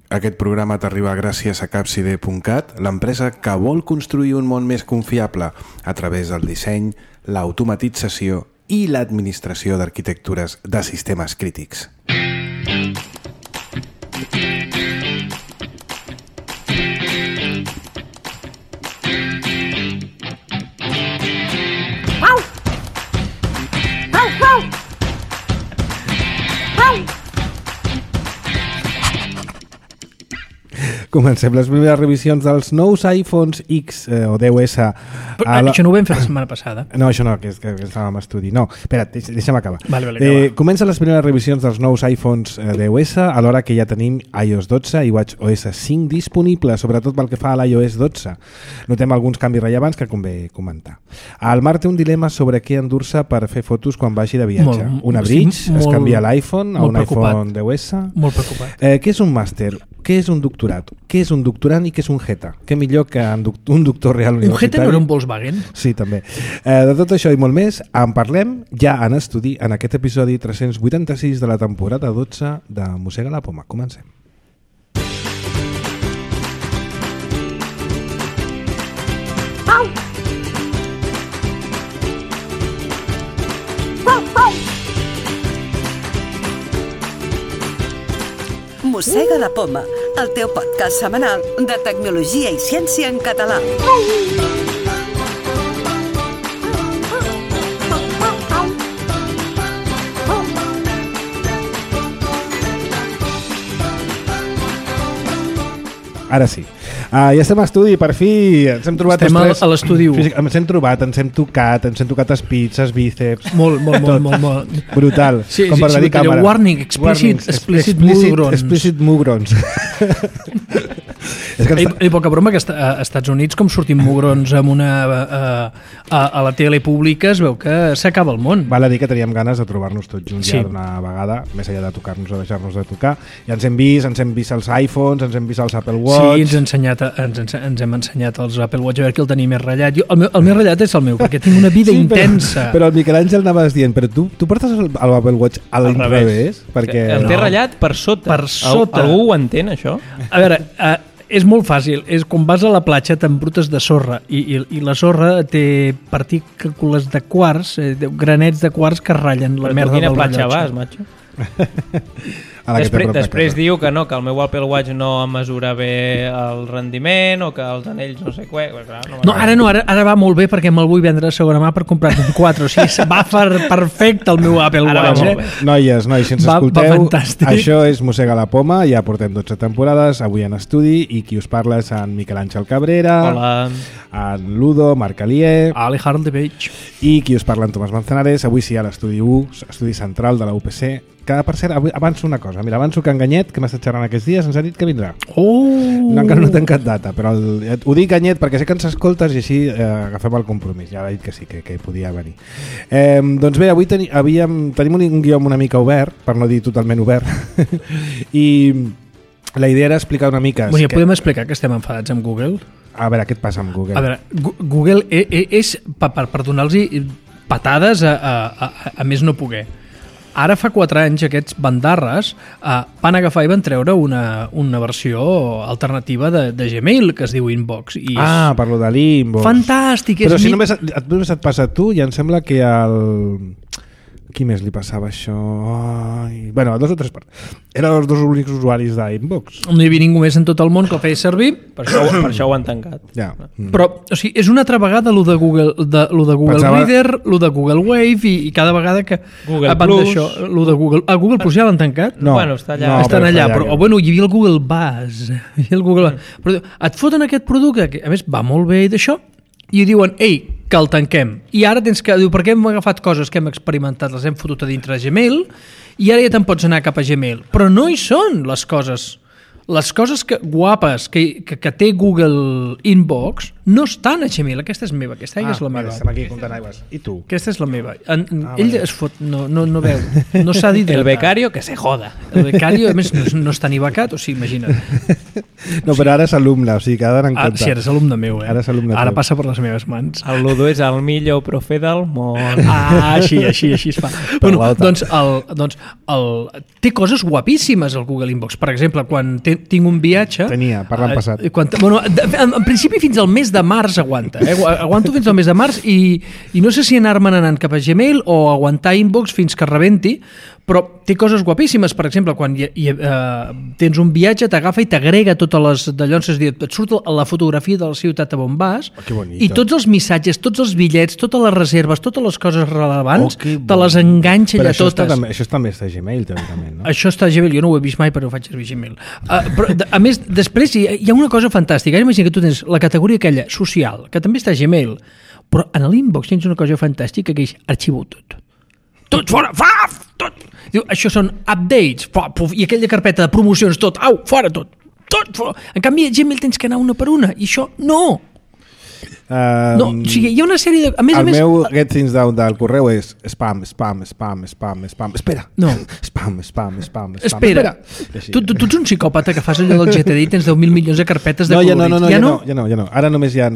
Aquest programa t'arriba gràcies a Capcide.cat, l'empresa que vol construir un món més confiable a través del disseny, l'automatització i l'administració d'arquitectures de sistemes crítics. Comencem les primeres revisions dels nous iPhones X o 10S. Això no ho vam fer la setmana passada. No, això no, que estàvem a estudi. No, espera't, deixa'm acabar. Vale, comencen les primeres revisions dels nous iPhones 10S, alhora que ja tenim iOS 12 i WatchOS 5 disponibles, sobretot pel que fa a l'iOS 12. Notem alguns canvis rellevants que convé comentar. El Marc té un dilema sobre què endur-se per fer fotos quan vagi de viatge. Una Bridge, es canvia l'iPhone a un iPhone 10S. Molt preocupat. Què és un màster? Què és un doctorat? Què és un doctorant i què és un jeta? Què millor que un doctor real universitari? Un jeta no era un Volkswagen? Sí, també. De tot això i molt més, en parlem ja en estudi en aquest episodi 386 de la temporada 12 de Mossega la Poma. Comencem. Mossega la Poma, el teu podcast setmanal de tecnologia i ciència en català. Ara sí. Ja estem a estudi, per fi ens hem trobat a l'estudi 1. Ens hem trobat, ens hem tocat els pits, els bíceps. Molt. Brutal. Sí, com per dir càmera. Warning, explicit mugrons. És que poca broma que a Estats Units, com sortim mugrons amb a la tele pública, es veu que s'acaba el món. Val a dir que teníem ganes de trobar-nos tots junts ja d'una vegada, més enllà de tocar-nos o deixar-nos de tocar. Ja ens hem vist els iPhones, ens hem vist els Apple Watch. Sí, ens hem ensenyat els Apple Watch, a veure qui el tenia més ratllat. El més ratllat és el meu, perquè tinc una vida intensa. Però el Miquel Àngel anaves dient, però tu portes l'Apple Watch a l'inrevés? Perquè el té ratllat per sota. Per sota. Algú ho entén, això? A veure, és molt fàcil. És quan vas a la platja t'embrutes de sorra i la sorra té partícules de quars, granets de quars que ratllen la merda del rellotge. Però quina platja vas, macho? Després diu que no, que el meu Apple Watch no mesura bé el rendiment o que els anells no sé què. Ara va molt bé perquè me'l vull vendre de segona mà per comprar-ne un 4. O sigui, va perfecte el meu Apple Watch. Noies, si ens escolteu, això és Mossega la Poma, ja portem 12 temporades, avui en estudi, i qui us parla és en Miquel Àngel Cabrera. Hola. En Ludo, Marc Alier. Alejandro de Beig. I qui us parla en Tomàs Manzanares. Avui sí a l'estudi 1, estudi central de la UPC, que per cert, avanço una cosa. Mira, avanço que en Ganyet, que m'ha estat xerrant aquests dies, ens ha dit que vindrà. Encara no he tancat data, però ho dic Ganyet perquè sé que ens escoltes i així agafem el compromís. Ja ha dit que sí, que podia venir. Doncs bé, avui tenim un guió una mica obert, per no dir totalment obert, i la idea era explicar una mica... Bueno, podem explicar que estem enfadats amb Google? A veure, què et passa amb Google? A veure, Google és per donar-los patades a més no poder. Ara fa 4 anys aquests bandarres van agafar i van treure una versió alternativa de Gmail que es diu Inbox. Per lo de l'Inbox. Fantàstic. Però si només et passa a tu, ja em sembla que qui més li passava això? Bueno, a 2 o 3 parts. Eren els 2 únics usuaris d'Inbox. No hi havia ningú més en tot el món que el feia servir. Per això ho han tancat. Ja. Però, o sigui, és una altra vegada lo de Google Reader, lo de Google Wave i cada vegada que... Google Plus. Lo de Google... Google Plus ja l'han tancat? No. Bueno, està allà. Estan allà, però hi havia el Google Buzz. Però et foten aquest producte, que a més va molt bé d'això, i diuen, que el tanquem. I ara tens que... Diu, per què hem agafat coses que hem experimentat, les hem fotut a dintre de Gmail, i ara ja te'n pots anar cap a Gmail. Però no hi són les coses. Les coses guapes que té Google Inbox no estan a Gmail. Aquesta és meva, aquesta és la meva. Estem aquí comptant aigües. I tu? Aquesta és la meva. Ell es fot, no veu, no s'ha dit. El becario que se joda. El becario, a més, no està ni becat, o sigui, imagina't. No, però ara és alumne, o sigui que ha d'anar en compte. Sí, ara és alumne meu, Ara és alumne Ara teu. passa per les meves mans. El Ludo és el millor profe del món. Així es fa. Bueno, doncs té coses guapíssimes el Google Inbox. Per exemple, quan tinc un viatge... Tenia, parla en passat. En principi fins al mes de març aguanta. Aguanto fins al mes de març i no sé si anar-me'n anant cap a Gmail o aguantar Inbox fins que rebenti, però té coses guapíssimes. Per exemple, quan tens un viatge, t'agafa i t'agrega totes les d'allò, és a dir, et surt la fotografia de la ciutat a on vas i tots els missatges, tots els bitllets, totes les reserves, totes les coses rellevants, te les enganxa allà totes. Això també està a Gmail, teòricament, no? Això està a Gmail, jo no ho he vist mai, però ho faig servir a Gmail. Però, a més, després hi ha una cosa fantàstica. Imagina que tu tens la categoria aquella, social, que també està a Gmail, però en l'Inbox tens una cosa fantàstica que és arxivo tot. Tot fora, tot. Diu, això són updates, i aquella carpeta de promocions, tot, fora tot fora. En canvi a Gmail tens que anar una per una, i això no. No, o sigui, hi ha una sèrie de... El meu get things down del correu és spam. Espera. No. Spam. Espera. Tu ets un psicòpata que fas allò del GTD i tens 10.000 milions de carpetes de colorits. Ja no. Ara només hi ha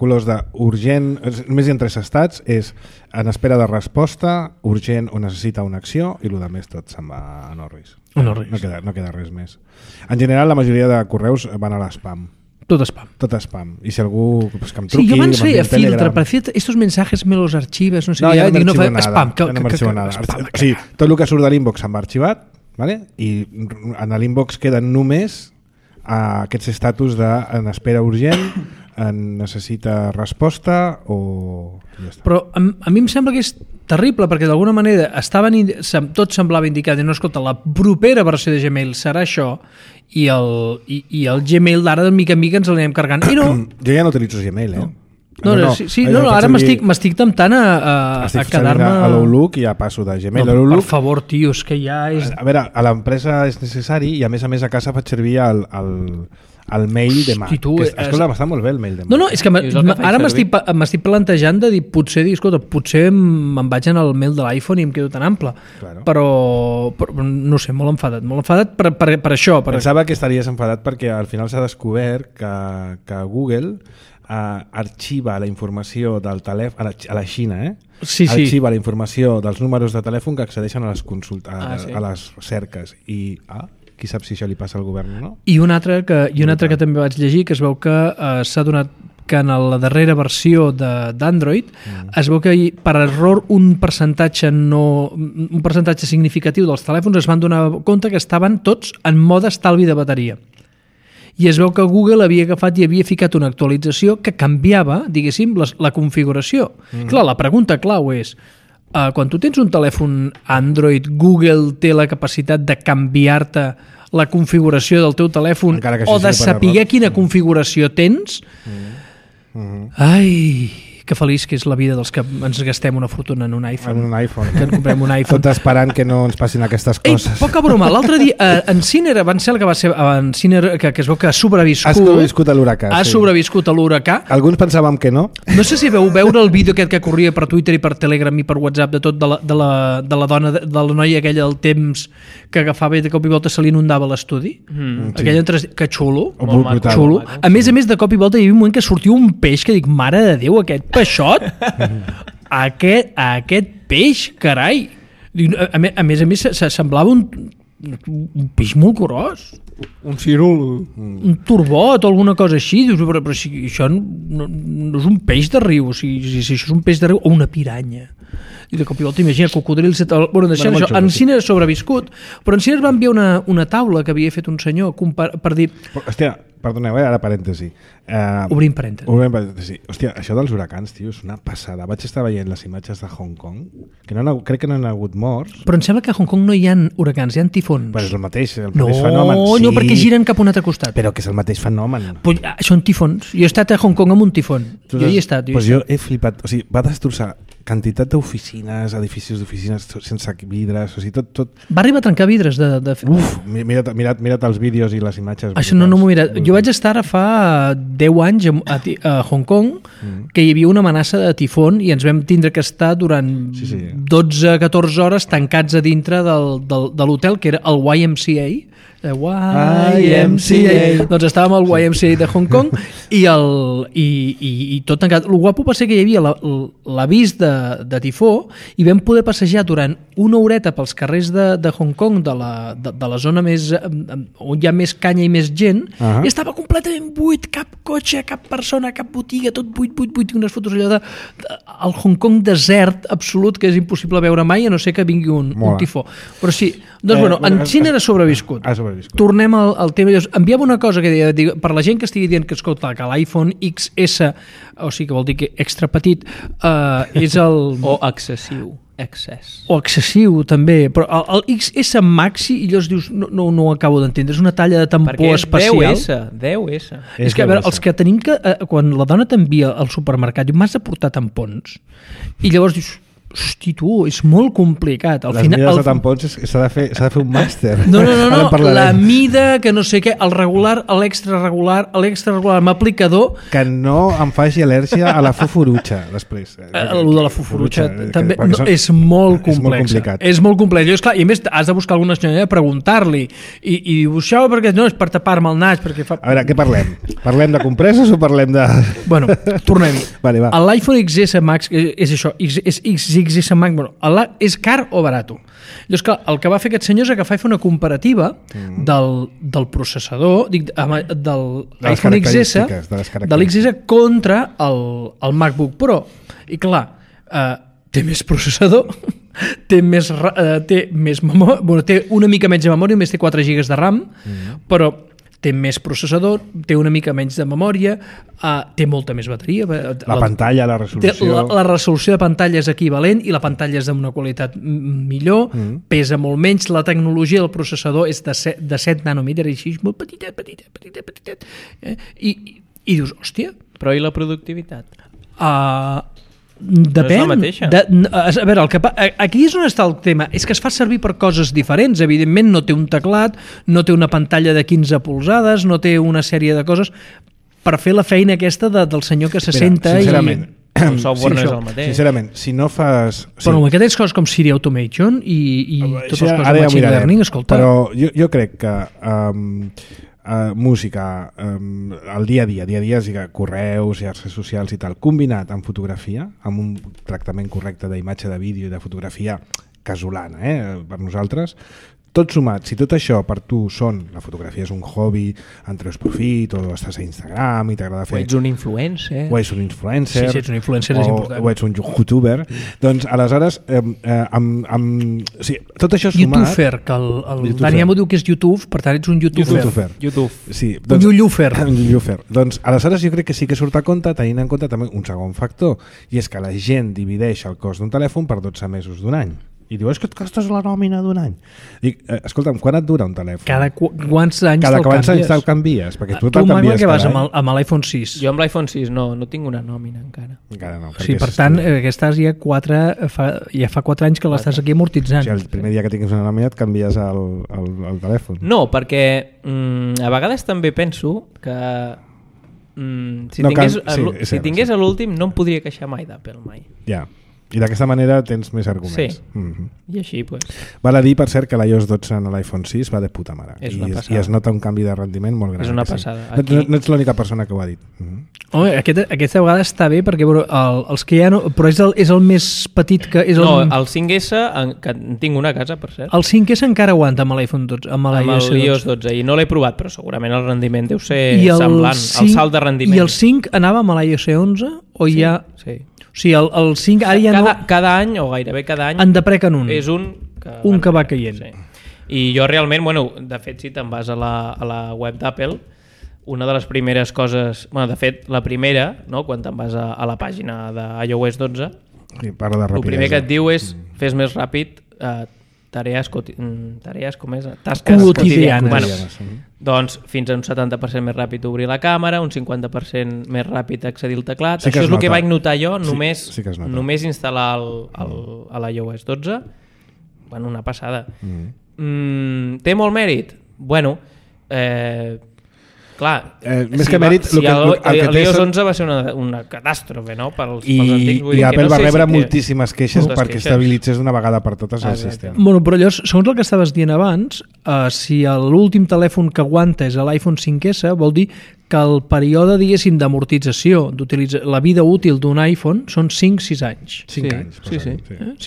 colors d'urgent, només hi ha 3 estats, és en espera de resposta, urgent o necessita una acció, i el més tot se'n va a Norris. No queda res més. En general, la majoria de correus van a l'espam. Tot spam. I si algú que em truqui... Sí, jo abans feia filtre, per fer estos mensajes me los arxives, no sé què. No, spam. O sigui, tot el que surt de l'Inbox se'n va arxivat, i en l'Inbox queden només aquests estatus de en espera urgent, en necessita resposta o... Però a mi em sembla que és terrible, perquè d'alguna manera tot semblava indicar no, escolta, la propera versió de Gmail serà això, i el Gmail d'ara de mica en mica ens l'anem carregant. I no. Jo ja no utilitzo Gmail, No, ara m'estic temptant a quedar-me... A l'Outlook i ja passo de Gmail. Per favor, tio, és que ja és... A veure, a l'empresa és necessari i a més a casa faig servir el mail de Mac. Escolta, m'està molt bé el mail de Mac. No, és que ara m'estic plantejant de dir, potser me'n vaig en el mail de l'iPhone i em quedo tan ample. Però no sé, molt enfadat per això. Pensava que estaries enfadat perquè al final s'ha descobert que Google arxiva la informació del telèfon a la Xina, arxiva la informació dels números de telèfon que accedeixen a les consultes, a les cerques i qui sap si això li passa al govern o no. I un altre que també vaig llegir, que es veu que s'ha donat que en la darrera versió d'Android es veu que per error un percentatge significatiu dels telèfons es van donar compte que estaven tots en mode estalvi de bateria. I es veu que Google havia agafat i havia ficat una actualització que canviava, diguéssim, la configuració. Clar, la pregunta clau és, quan tu tens un telèfon Android, Google té la capacitat de canviar-te la configuració del teu telèfon o de saber quina configuració tens? Ai... que feliç que és la vida dels que ens gastem una fortuna en un iPhone. En un iPhone. Que en comprem un iPhone. Tot esperant que no ens passin aquestes coses. Poca broma. L'altre dia, en Sinner, van ser el que va ser... En Sinner, que es veu que ha sobreviscut... Ha sobreviscut a l'huracà. Ha sobreviscut a l'huracà. Alguns pensàvem que no. No sé si veu veure el vídeo aquest que corria per Twitter i per Telegram i per WhatsApp de tot de la dona, de la noia aquella del temps que agafava i de cop i volta se li inundava l'estudi. Aquella que xulo. Xulo. A més, de cop i volta hi havia un moment que sortia un peix que dic, mare de Déu, aquest peixot, aquest peix, carai. A més, semblava un peix molt gros. Un cirul. Un turbot o alguna cosa així. Però això no és un peix de riu. Si això és un peix de riu o una piranya. I de cop i volta, imagina, cocodrils... En Sinner ha sobreviscut, però en Sinner va enviar una taula que havia fet un senyor per dir... Hòstia, perdoneu, ara parèntesi. Obrim parèntesi. Hòstia, això dels huracans, tio, és una passada. Vaig estar veient les imatges de Hong Kong, que crec que no hi ha hagut morts. Però em sembla que a Hong Kong no hi ha huracans, hi ha tifons. Però és el mateix fenomen. No, perquè giren cap a un altre costat. Però que és el mateix fenomen. Són tifons. Jo he estat a Hong Kong amb un tifon. Jo hi he estat. Jo he flipat. O sigui, va destrossar quantitat d'oficines, edificis d'oficines sense vidres, o sigui, tot... Va arribar a trencar vidres de... Uf, mira't els vídeos i les imatges. Això no m'ho he mirat. Jo vaig estar ara fa 10 anys a Hong Kong, que hi havia una amenaça de tifon i ens vam tindre que estar durant 12-14 hores tancats a dintre de l'hotel, que era el YMCA. YMCA. Doncs estàvem al YMCA de Hong Kong i tot tancat. El guapo va ser que hi havia l'avís de tifó i vam poder passejar durant una horeta pels carrers de Hong Kong, de la zona més on hi ha més canya i més gent, i estava completament buit, cap cotxe, cap persona, cap botiga, tot buit, unes fotos allò al Hong Kong desert absolut, que és impossible veure mai, a no ser que vingui un tifó. Però sí, doncs en Xina era sobreviscut. Tornem al tema. Enviava una cosa que deia, per la gent que estigui dient que escolta, que l'iPhone XS, o sigui que vol dir que extra petit, és el... O excessiu. O excessiu, també. Però el XS Maxi, i llavors dius, no ho acabo d'entendre, és una talla de tampó especial. Perquè és 10S. És que, a veure, els que tenim que... Quan la dona t'envia al supermercat, diu, m'has de portar tampons. I llavors dius, hosti, tu, és molt complicat. Les mides de tampons s'ha de fer un màster. No, la mida, que no sé què, el regular, l'extra regular, m'aplicador... Que no em faci al·lèrgia a la fufurutxa, després. El de la fufurutxa també és molt complicat. És molt complex. I a més, has de buscar alguna senyora, preguntar-li, i diu, això perquè no és per tapar-me el nas, perquè fa... A veure, què parlem? Parlem de compresses o parlem de... Bueno, tornem-hi. Vale, va. L'iPhone XS Max és això, és XS Max, és car o barato? Llavors, clar, el que va fer aquest senyor és agafar i fer una comparativa del processador, de l'iPhone XS, de l'XS contra el MacBook Pro. I clar, té més processador, té més memòria, bueno, té una mica menys de memòria, només té 4 GB de RAM, però té més processador, té una mica menys de memòria, té molta més bateria. La pantalla, la resolució... La resolució de pantalla és equivalent i la pantalla és d'una qualitat millor, pesa molt menys, la tecnologia del processador és de 7 nanòmetres, així, molt petitet. I dius, hòstia... Però i la productivitat? Depèn. No és la mateixa. A veure, aquí és on està el tema. És que es fa servir per coses diferents. Evidentment no té un teclat, no té una pantalla de 15 polzades, no té una sèrie de coses per fer la feina aquesta del senyor que se senta sincerament, el software no és el mateix. Sincerament, si no fas... Però que tens coses com Siri Automation i totes les coses de Machine Learning, escolta... Però jo crec que... música, el dia a dia, correus, xarxes socials i tal, combinat amb fotografia, amb un tractament correcte d'imatge, de vídeo i de fotografia casolana, per nosaltres, tot sumat, si tot això per tu la fotografia és un hobby, en treus profit, o estàs a Instagram i t'agrada fer... O ets un influencer. Sí, si ets un influencer és important. O ets un youtuber. Doncs aleshores, tot això sumat... YouTuber, que el Dani Amo diu que és YouTube, per tant ets un YouTuber. YouTube. Sí, un Llullufer. Doncs aleshores jo crec que sí que surt a compte, tenint en compte també un segon factor, i és que la gent divideix el cost d'un telèfon per 12 mesos d'un any. I diu, és que et costes la nòmina d'un any. Dic, escolta'm, quan et dura un telèfon? Cada quants anys te'l canvies? Perquè tu te'l canvies que vas amb l'iPhone 6. Jo amb l'iPhone 6 no tinc una nòmina encara. Encara no. Sí, per tant, estàs ja fa 4 anys que l'estàs aquí amortitzant. Si el primer dia que tinguis una nòmina et canvies el telèfon. No, perquè a vegades també penso que si tingués a l'últim no em podria queixar mai d'Apple, mai. Ja. I d'aquesta manera tens més arguments. Sí, i així, pues... Val a dir, per cert, que l'iOS 12 en l'iPhone 6 va de puta mare. I es nota un canvi de rendiment molt gran. És una passada. No ets l'única persona que ho ha dit. Home, aquesta vegada està bé, perquè els que ja no... Però és el més petit que... No, el 5S, que en tinc una a casa, per cert. El 5S encara aguanta amb l'iPhone 12, amb l'iOS 12, i no l'he provat, però segurament el rendiment deu ser semblant, el salt de rendiment. I el 5 anava amb l'iOS 11 o ja... Sí. O sigui, el 5 ara ja cada any, o gairebé cada any, en deprequen un. És un que va caient. Sí. I jo realment, de fet, si te'n vas a la web d'Apple, una de les primeres coses... de fet, la primera, no, quan te'n vas a la pàgina d'iOS 12, el primer que et diu és fes més ràpid tarees com és? Tasques quotidianes. Doncs fins a un 70% més ràpid obrir la càmera, un 50% més ràpid accedir al teclat. Això és el que vaig notar jo només instal·lar a l'iOS 12. Una passada. Té molt mèrit? Clar, més que mèrit, l'iOS 11 va ser una catàstrofe, no? Pels antics, I Apple va rebre moltíssimes queixes perquè estabilitzés d'una vegada per totes el sistema. Bueno, però llavors, segons el que estaves dient abans, si l'últim telèfon que aguanta és l'iPhone 5S, vol dir que el període, diguéssim, d'amortització, la vida útil d'un iPhone són 5-6 anys. 5 anys. Sí.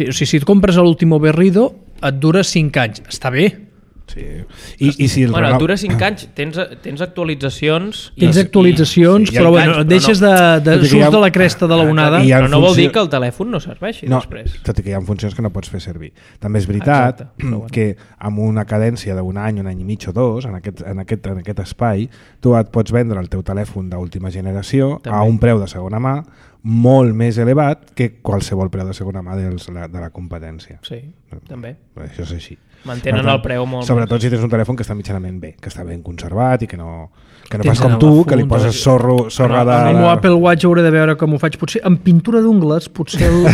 O sigui, si et compres l'último Berrido, et dura 5 anys. Està bé. Sí. I si et dura 5 anys, tens actualitzacions... Tens actualitzacions, però bueno, deixes de surts de la cresta de la onada. Però no vol dir que el telèfon no serveixi després. Tot i que hi ha funcions que no pots fer servir. També és veritat que amb una cadència d'un any i mig o dos, en aquest espai, tu et pots vendre el teu telèfon d'última generació a un preu de segona mà molt més elevat que qualsevol preu de segona mà de la competència. Sí, també. Això és així. Mantenen el preu molt... Sobretot si tens un telèfon que està mitjanament bé, que està ben conservat i que no fas com tu, que li poses sorra de... El meu Apple Watch hauré de veure com ho faig. Potser amb pintura d'ungles, potser el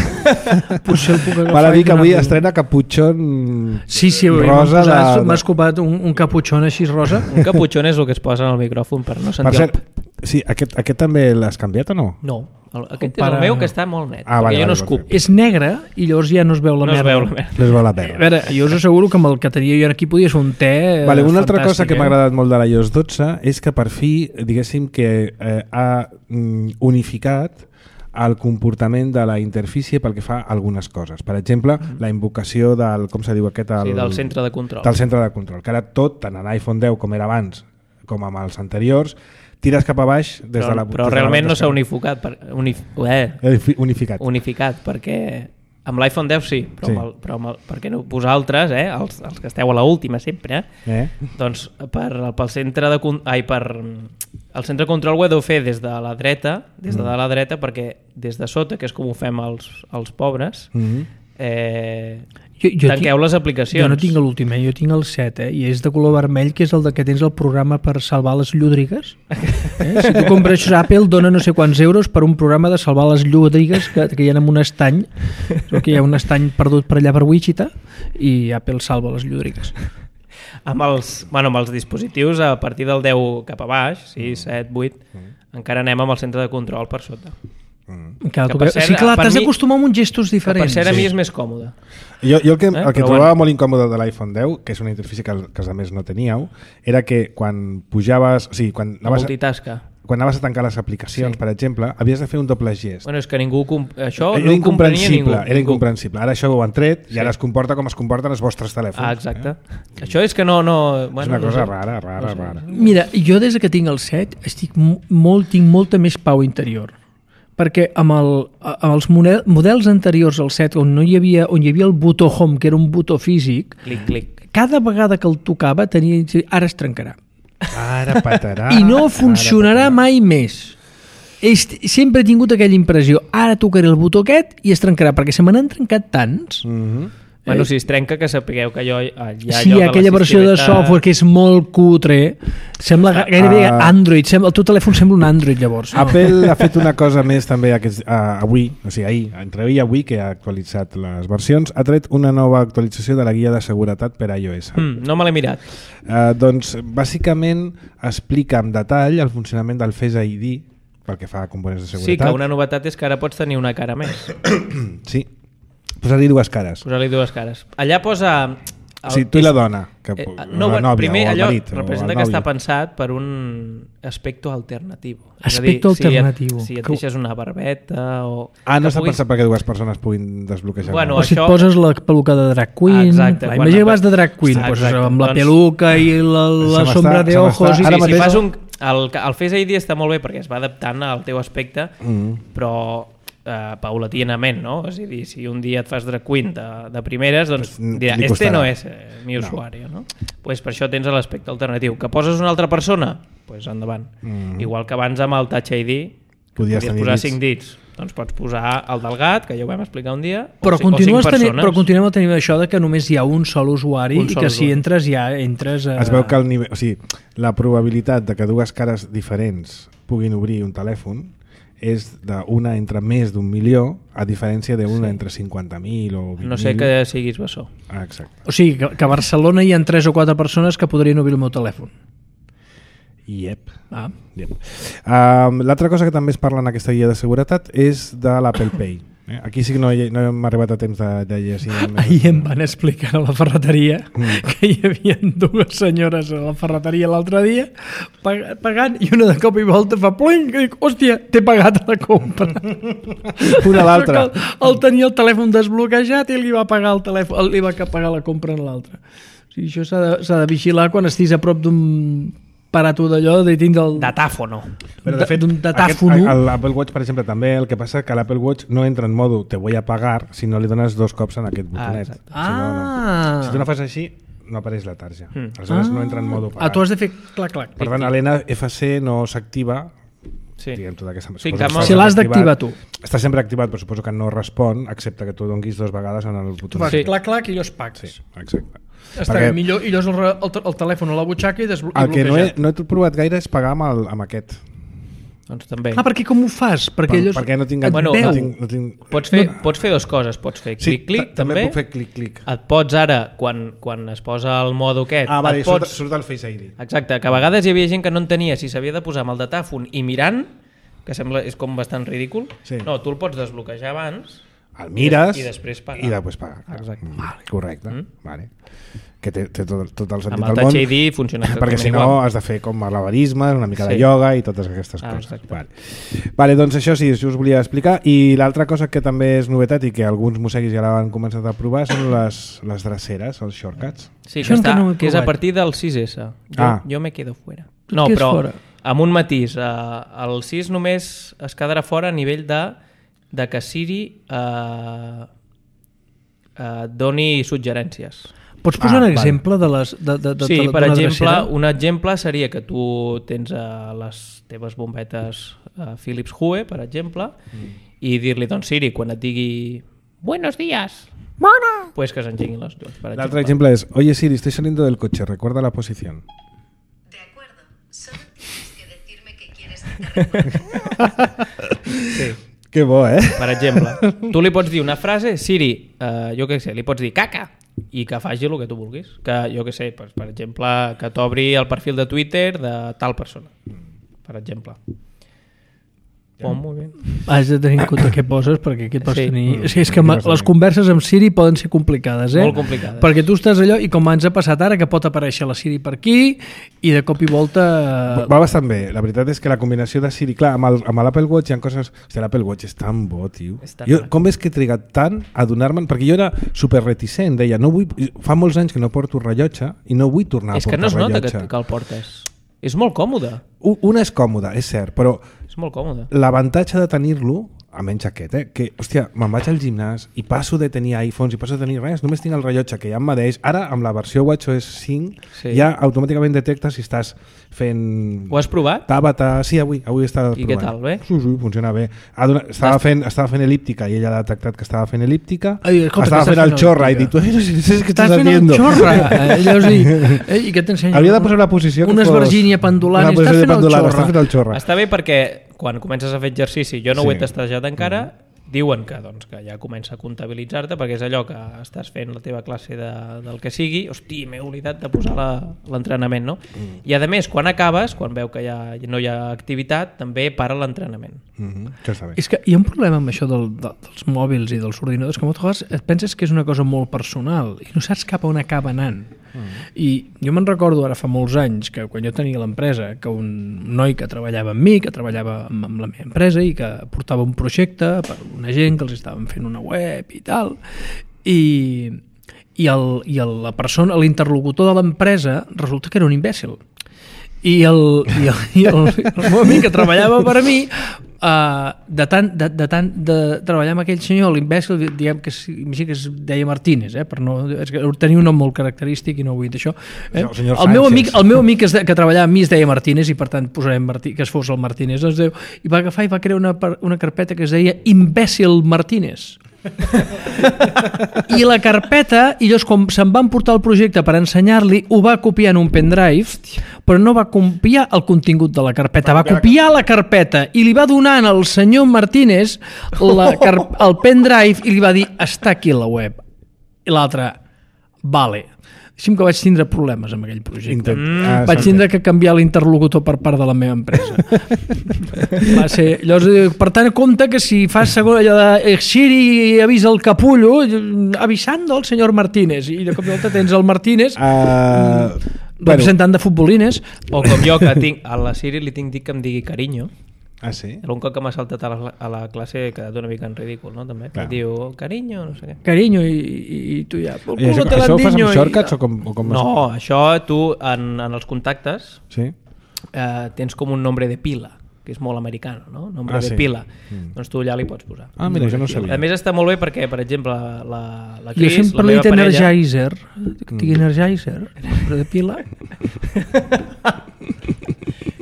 puc agafar. Val a dir que avui estrena caputxon rosa. M'has copat un caputxon així rosa. Un caputxon és el que es posa en el micròfon per no sentir... Per cert, sí, aquest també l'has canviat o no? No. Aquest és el meu que està molt net, perquè jo no escup. És negre i llavors ja no es veu la merda. No es veu la merda. A veure, jo us asseguro que amb el que tenia jo aquí podia fer un te una altra cosa que m'ha agradat molt de l'iOS 12 és que per fi, diguéssim que ha unificat el comportament de la interfície pel que fa a algunes coses. Per exemple, la invocació del, com se diu aquest? Del centre de control. Del centre de control, que ara tot, tant en iPhone 10 com era abans, com amb els anteriors, tires cap a baix des de la... Però realment no s'ha unificat. Unificat, perquè amb l'iPhone 10 sí, però per què no posar altres, els que esteu a l'última sempre, doncs pel centre de el centre de control ho heu de fer des de la dreta, perquè des de sota, que és com ho fem els pobres, tanqueu les aplicacions. Jo no tinc l'últim, jo tinc el 7 i és de color vermell, que és el que tens el programa per salvar les llúdrigues. Si tu compres Apple, dona no sé quants euros per un programa de salvar les llúdrigues que hi ha en un estany, que hi ha un estany perdut per allà per Wichita i Apple salva les llúdrigues. Amb els dispositius a partir del 10 cap a baix, 6, 7, 8, encara anem amb el centre de control per sota. Sí, clar, t'has d'acostumar amb uns gestos diferents. Per cert, a mi és més còmode. Jo el que trobava molt incòmode de l'iPhone 10, que és una interfície que els altres no teníeu, era que quan pujaves... O sigui, quan anaves a tancar les aplicacions, per exemple, havies de fer un doble gest. Bueno, és que ningú... Això no ho comprenia ningú. Era incomprensible. Ara això ho han tret i ara es comporta com es comporten els vostres telèfons. Exacte. Això és que no... És una cosa rara. Mira, jo des que tinc el 7 tinc molta més pau interior. Perquè amb els models anteriors al 7, on hi havia el botó home, que era un botó físic, cada vegada que el tocava ara es trencarà. Ara patarà. I no funcionarà mai més. Sempre he tingut aquella impressió. Ara tocaré el botó aquest i es trencarà, perquè se me n'han trencat tants. Bueno, si es trenca, que sapigueu que hi ha sí, aquella versió de software que és molt cutre, sembla gairebé Android, el teu telèfon sembla un Android llavors. Apple ha fet una cosa més també avui, o sigui ahir, entre ahir i avui, que ha actualitzat les versions, ha tret una nova actualització de la guia de seguretat per a iOS. No me l'he mirat. Doncs bàsicament explica en detall el funcionament del Face ID pel que fa a components de seguretat. Sí, que una novetat és que ara pots tenir una cara més. Sí. Posar-li dues cares. Allà posa... Sí, tu i la dona. La nòvia, primer, o el marit. Representa que està pensat per un aspecte alternatiu. Alternatiu. Si et deixes una barbeta o... no està pensat perquè dues persones puguin desbloquejar. O si et poses la peluca de drag queen. Exacte. Imagina que vas de drag queen, amb la peluca i la sombra de ojos. Si fas el Face ID està molt bé perquè es va adaptant al teu aspecte, però... paulatinament, no? És a dir, si un dia et fas drag queen de primeres, doncs dirà, no és mi usuari, no? Pues per això tens l'aspecte alternatiu. Que poses una altra persona? Pues endavant. Igual que abans amb el Touch ID podies posar 5 dits. Doncs pots posar el del gat, que ja ho vam explicar un dia, però continuem tenint això de que només hi ha un sol usuari i que si entres ja entres... Es veu que el nivell, o sigui, la probabilitat de que dues cares diferents puguin obrir un telèfon és d'una entre més d'1 milió a diferència d'una entre 50.000 o 20.000. No sé que siguis bessó. Exacte. O sigui, que a Barcelona hi ha 3 o 4 persones que podrien obrir el meu telèfon. Yep. L'altra cosa que també es parla en aquesta guia de seguretat és de l'Apple Pay. Aquí sí que no hem arribat a temps de llegir. Ahir em van explicar a la ferreteria que hi havia dues senyores a la ferreteria l'altre dia pagant i una de cop i volta fa pling i dic, hòstia, t'he pagat la compra. Una a l'altra. El tenia el telèfon desbloquejat i li va pagar el telèfon, li va pagar la compra en l'altre. O sigui, això s'ha de vigilar quan estiguis a prop d'un aparato d'allò de dins del... Datàfono. Però de fet, l'Apple Watch, per exemple, també el que passa que l'Apple Watch no entra en modo te voy a pagar si no li dones 2 cops en aquest botonet. Si tu no fas així, no apareix la tarja. Aleshores no entra en modo pagar. Tu has de fer clac. Per tant, a l'NFC no s'activa. Diguem, tota aquesta... Si l'has d'activar tu. Està sempre activat, però suposo que no respon, excepte que tu donguis 2 vegades en el botonet. Tu fas clac i llavors pagues. Sí, exacte. Està bé, millor, i llavors el telèfon a la butxaca i bloquejat. El que no he provat gaire és pagar amb aquest. Doncs també. Perquè com ho fas? Perquè no tinc... Pots fer 2 coses. Pots fer clic-clic, també puc fer clic-clic. Et pots ara, quan es posa el modo aquest... vale, surt el Face ID. Exacte, que a vegades hi havia gent que no entenia si s'havia de posar amb el datàfon i mirant, que sembla és com bastant ridícul. No, tu el pots desbloquejar abans... El mires i després pagar. I després pagar. Exacte. Correcte. Vale. Que té tot el sentit del món. Amb el Touch ID funciona perquè si no has de fer com malabarisme, una mica de ioga i totes aquestes coses. Vale, doncs això sí us volia explicar. I l'altra cosa que també és novetat i que alguns musseguis ja l'han començat a provar són les dreceres, els shortcuts. Sí, que és a partir del 6S. Jo me quedo fuera. No, però amb un matís. El 6 només es quedarà fora a nivell de que Siri doni suggerències. Pots posar un exemple de les... Sí, per exemple, un exemple seria que tu tens les teves bombetes Philips Hue, per exemple, i dir-li, doncs Siri, quan et digui buenos días, pues que s'engeguin les llums. L'altre exemple és, oye Siri, estoy saliendo del coche, recuerda la posición. De acuerdo, solo tienes que decirme que quieres que te recuerde. Sí. Que bo, Per exemple, tu li pots dir una frase, Siri, jo què sé, li pots dir caca, i que faci el que tu vulguis. Que, jo què sé, per exemple, que t'obri el perfil de Twitter de tal persona. Per exemple. Molt bé. Has de tenir en compte què poses, perquè aquí pots tenir... O sigui, és que les converses amb Siri poden ser complicades, Molt complicades. Perquè tu estàs allò, i com ens ha passat ara, que pot aparèixer la Siri per aquí, i de cop i volta... Va bastant bé. La veritat és que la combinació de Siri... Clar, amb l'Apple Watch hi ha coses... Hòstia, l'Apple Watch és tan bo, tio. Com és que he trigat tant a donar-me'n... Perquè jo era super reticent, deia, no vull... Fa molts anys que no porto rellotge i no vull tornar a portar rellotge. És que no es nota que el portes. És molt còmode. Una és còmoda, és cert, però... És molt còmode. L'avantatge de tenir-lo, almenys aquest, que, hòstia, me'n vaig al gimnàs i passo de tenir iPhones i passo de tenir res, només tinc el rellotge que ja em medeix. Ara, amb la versió WatchOS 5, ja automàticament detecta si estàs fent... Ho has provat? Tabata, sí, avui estava provant. I què tal, bé? Sí, funciona bé. Estava fent elíptica i ella ha detectat que estava fent elíptica. Estava fent el xorra i dic, tu no sé què estàs fent el xorra. I què t'ensenya? Hauria de posar la posició una esvergínia pendulant i estàs fent el xorra. Està bé perquè quan comences a fer exercici, jo no ho he testejat encara, diuen que ja comença a comptabilitzar-te perquè és allò que estàs fent la teva classe del que sigui, hosti, m'he oblidat de posar l'entrenament, no? I a més, quan acabes, quan veu que ja no hi ha activitat, també para l'entrenament. Això està bé. És que hi ha un problema amb això dels mòbils i dels ordinadors, que moltes vegades et penses que és una cosa molt personal i no saps cap a on acaba anant. I jo me'n recordo ara fa molts anys que quan jo tenia l'empresa, que un noi que treballava amb mi, que treballava amb la meva empresa i que portava un projecte per una gent que els estaven fent una web i tal, i la persona, l'interlocutor de l'empresa resulta que era un imbècil. I el meu amic que treballava per a mi, de tant de treballar amb aquell senyor, l'imbècil, diguem que es deia Martínez, per no, és que tenia un nom molt característic i no vull dir això. El meu amic que treballava amb mi es deia Martínez i per tant posarem que es fos el Martínez, i va agafar i va crear una carpeta que es deia Imbècil Martínez. I la carpeta, i llavors quan se'n van portar el projecte per ensenyar-li, ho va copiar en un pendrive, però no va copiar el contingut de la carpeta, va copiar la carpeta i li va donar al senyor Martínez el pendrive i li va dir, està aquí la web. I l'altre, vale. Deixi'm que vaig tindre problemes amb aquell projecte. Vaig s'entén. tindre que canviar l'interlocutor per part de la meva empresa. Va ser... Llavors, per tant, compte que si fas segon allò de Siri avisa el capullo, avisando al senyor Martínez, i de cop i volta tens el Martínez representant de futbolines. O com jo, que tinc, a la Siri li tinc dit que em digui carinyo. Ah, sí? Un cop que m'ha saltat a la classe he quedat una mica en ridícul, no? També. Clar. Diu, carinyo, no sé què. Carinyo, i tu ja... I això ho fas amb shortcuts o com No, això tu en els contactes Sí? tens com un nombre de pila, que és molt americano, no? Nombre de sí. pila. Doncs tu allà li pots posar. Ah, mira, jo no ho sabia. A més està molt bé perquè, per exemple, la Jo Cris, sempre la li he meva dit parella... Energizer. Dic Energizer, nombre de pila.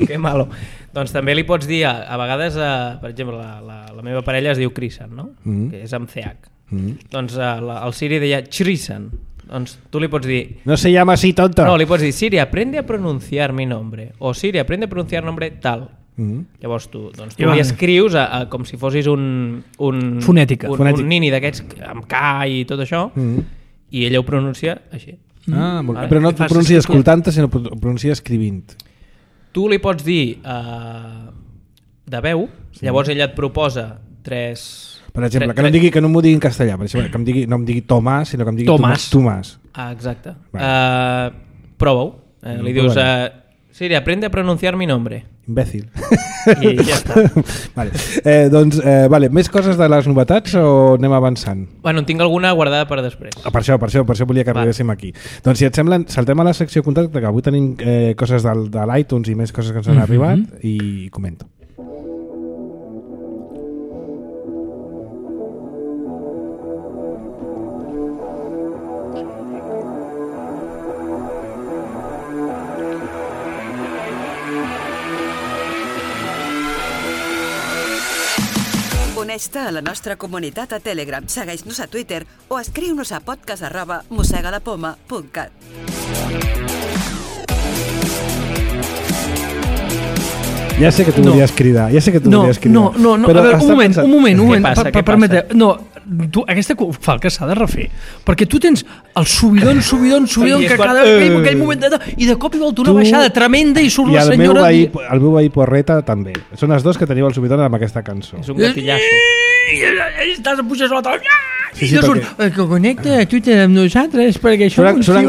Que malo. Doncs també li pots dir, a vegades, per exemple, la meva parella es diu Crisan, no? Que és amb CH. Doncs el Siri deia Chrisan. Doncs tu li pots dir... No se llama así, tonto. No, li pots dir, Siri, aprende a pronunciar mi nombre. O Siri, aprende a pronunciar nombre tal. Llavors tu li escrius com si fossis un fonètica. un nini d'aquests amb K i tot això, i ella ho pronuncia així. Ah, però no ho pronuncia escoltant-te, sinó ho pronuncia escrivint. Tu li pots dir de veu, llavors ella et proposa tres... Per exemple, que no m'ho digui en castellà, per exemple, que no em digui Tomàs, sinó que em digui Tomàs. Ah, exacte. Prova-ho. Li dius, Siri, aprende a pronunciar mi nombre. Imbècil. I ja està. Vale, més coses de les novetats o anem avançant? Bueno, en tinc alguna guardada per després. Per això volia que arribéssim aquí. Doncs si et sembla, saltem a la secció contacte, que avui tenim coses de l'iTunes i més coses que ens han arribat, i comento. Uneix-te a la nostra comunitat a Telegram, segueix-nos a Twitter o escriu-nos a podcast@mossegalapoma.cat. Ja sé que tu volies cridar, No, però a veure, un moment. Què Permete, no, aquesta falca s'ha de refer, perquè tu tens el subidon que cada aquell moment i de cop i volta una baixada tremenda i surt la senyora... I el meu veí Porreta també. Són els dos que teniu el subidon amb aquesta cançó. És un gatillasso. I estàs a pujar a l'altre... Sí, I surt, que connecta a Twitter amb nosaltres perquè això Sonen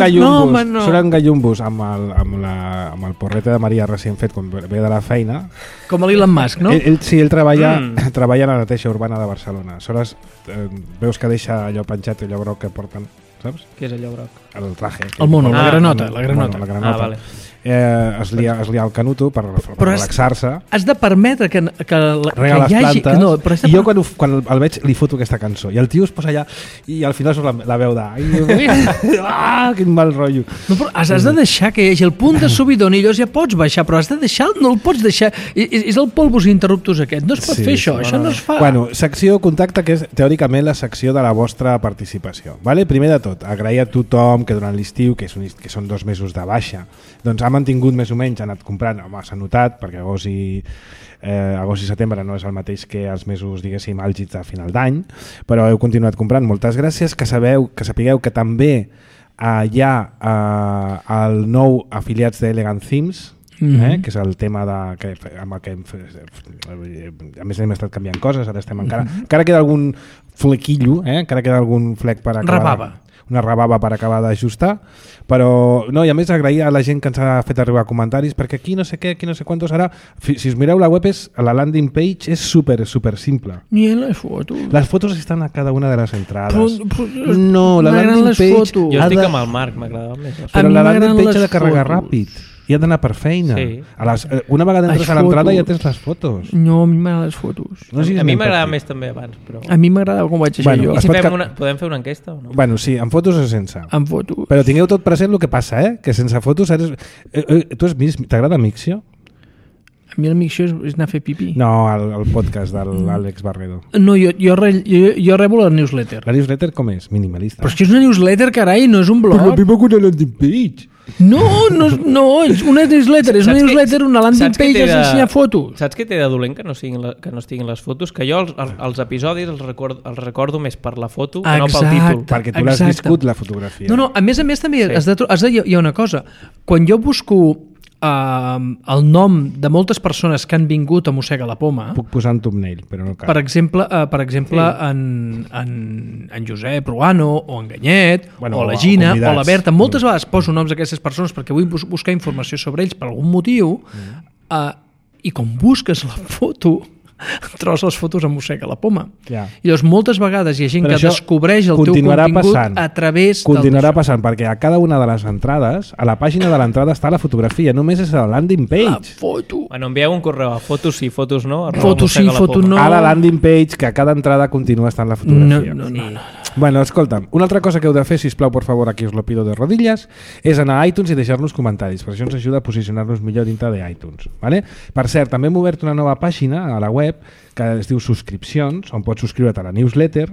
gallumbos amb el Porreta de Maria recient fet quan ve de la feina. Com l'Elon Musk, no? Ell treballa a la neteja urbana de Barcelona. Soles veus que deixa allò penjat, allò groc que porten, saps? Què és allò groc? El traje. El mono, la granota. Vale. Es lia el canuto per relaxar-se. Has de permetre que rega les plantes. I jo quan el veig li foto aquesta cançó i el tio es posa allà i al final surt la veu quin mal rotllo. No, però has de deixar que hi hagi el punt de subidon i llavors ja pots baixar, però has de deixar, no el pots deixar. És el polvos interruptus aquest, no es pot fer això, això no es fa. Bueno, secció contacte, que és teòricament la secció de la vostra participació. Vale? Primer de tot, agrair a tothom que durant l'estiu, que són 2 mesos de baixa, doncs ha mantingut més o menys, ha anat comprant, home, s'ha notat, perquè agost i setembre no és el mateix que els mesos, diguéssim, àlgids a final d'any, però heu continuat comprant. Moltes gràcies, que sapigueu que també hi ha el nou afiliats d'Elegant Themes, que és el tema amb el que a més hem estat canviant coses, ara estem encara queda algun flequillo, encara queda algun flec per acabar una rebava per acabar d'ajustar, però no, i a més agrair a la gent que ens ha fet arribar comentaris, perquè aquí no sé què, aquí no sé quantos ara, si us mireu la web, la landing page és super simple. Ni les fotos. Les fotos estan a cada una de les entrades. No, la landing page... Jo estic amb el Marc, m'agradava més. Però la landing page ha de carregar ràpid i ha d'anar per feina. Sí. Una vegada entres a l'entrada ja tens les fotos. No, a mi m'agraden les fotos. A mi m'agradava més també abans. Però... A mi m'agradava com vaig ser jo. I si podem fer una enquesta o no? Bueno, sí, amb fotos o sense. Amb fotos. Però tingueu tot present el que passa, que sense fotos eres... T'agrada Mixio? A mi el Mixio és anar a fer pipí. No, el podcast de l'Àlex Barredo. No, jo rebo la newsletter. La newsletter com és? Minimalista. Però és que és una newsletter, carai, no és un blog. Però la meva una landing page. No, és una newsletter, és una newsletter, una landing page és ensenyar fotos. Saps què té de dolent que no estiguin les fotos? Que jo els episodis els recordo més per la foto que no pel títol. Perquè tu l'has viscut, la fotografia. No, a més també hi ha una cosa. Quan jo busco el nom de moltes persones que han vingut a Mossega la Poma, puc posar un thumbnail, però no cal. per exemple en Josep Ruano o en Ganyet o la Gina o la Berta, moltes vegades poso noms d'aquestes persones perquè vull buscar informació sobre ells per algun motiu, i com busques la foto trobes les fotos a Mossega la Poma. Ja. I llavors moltes vegades hi ha gent però que descobreix el teu contingut a través continuarà passant, perquè a cada una de les entrades, a la pàgina de l'entrada està la fotografia, només és la landing page. la foto. Bueno, envieu un correu a fotos sí, fotos no. Fotos sí, fotos no. A la landing page, que a cada entrada continua estant la fotografia. No. Bueno, escolta'm, una altra cosa que heu de fer, sisplau, por favor, aquí us lo pido de rodillas, és anar a iTunes i deixar-nos comentaris, per això ens ajuda a posicionar-nos millor dintre d'iTunes. ¿Vale? Per cert, també hem obert una nova pàgina a la web que es diu subscripcions, on pots subscriure't a la newsletter,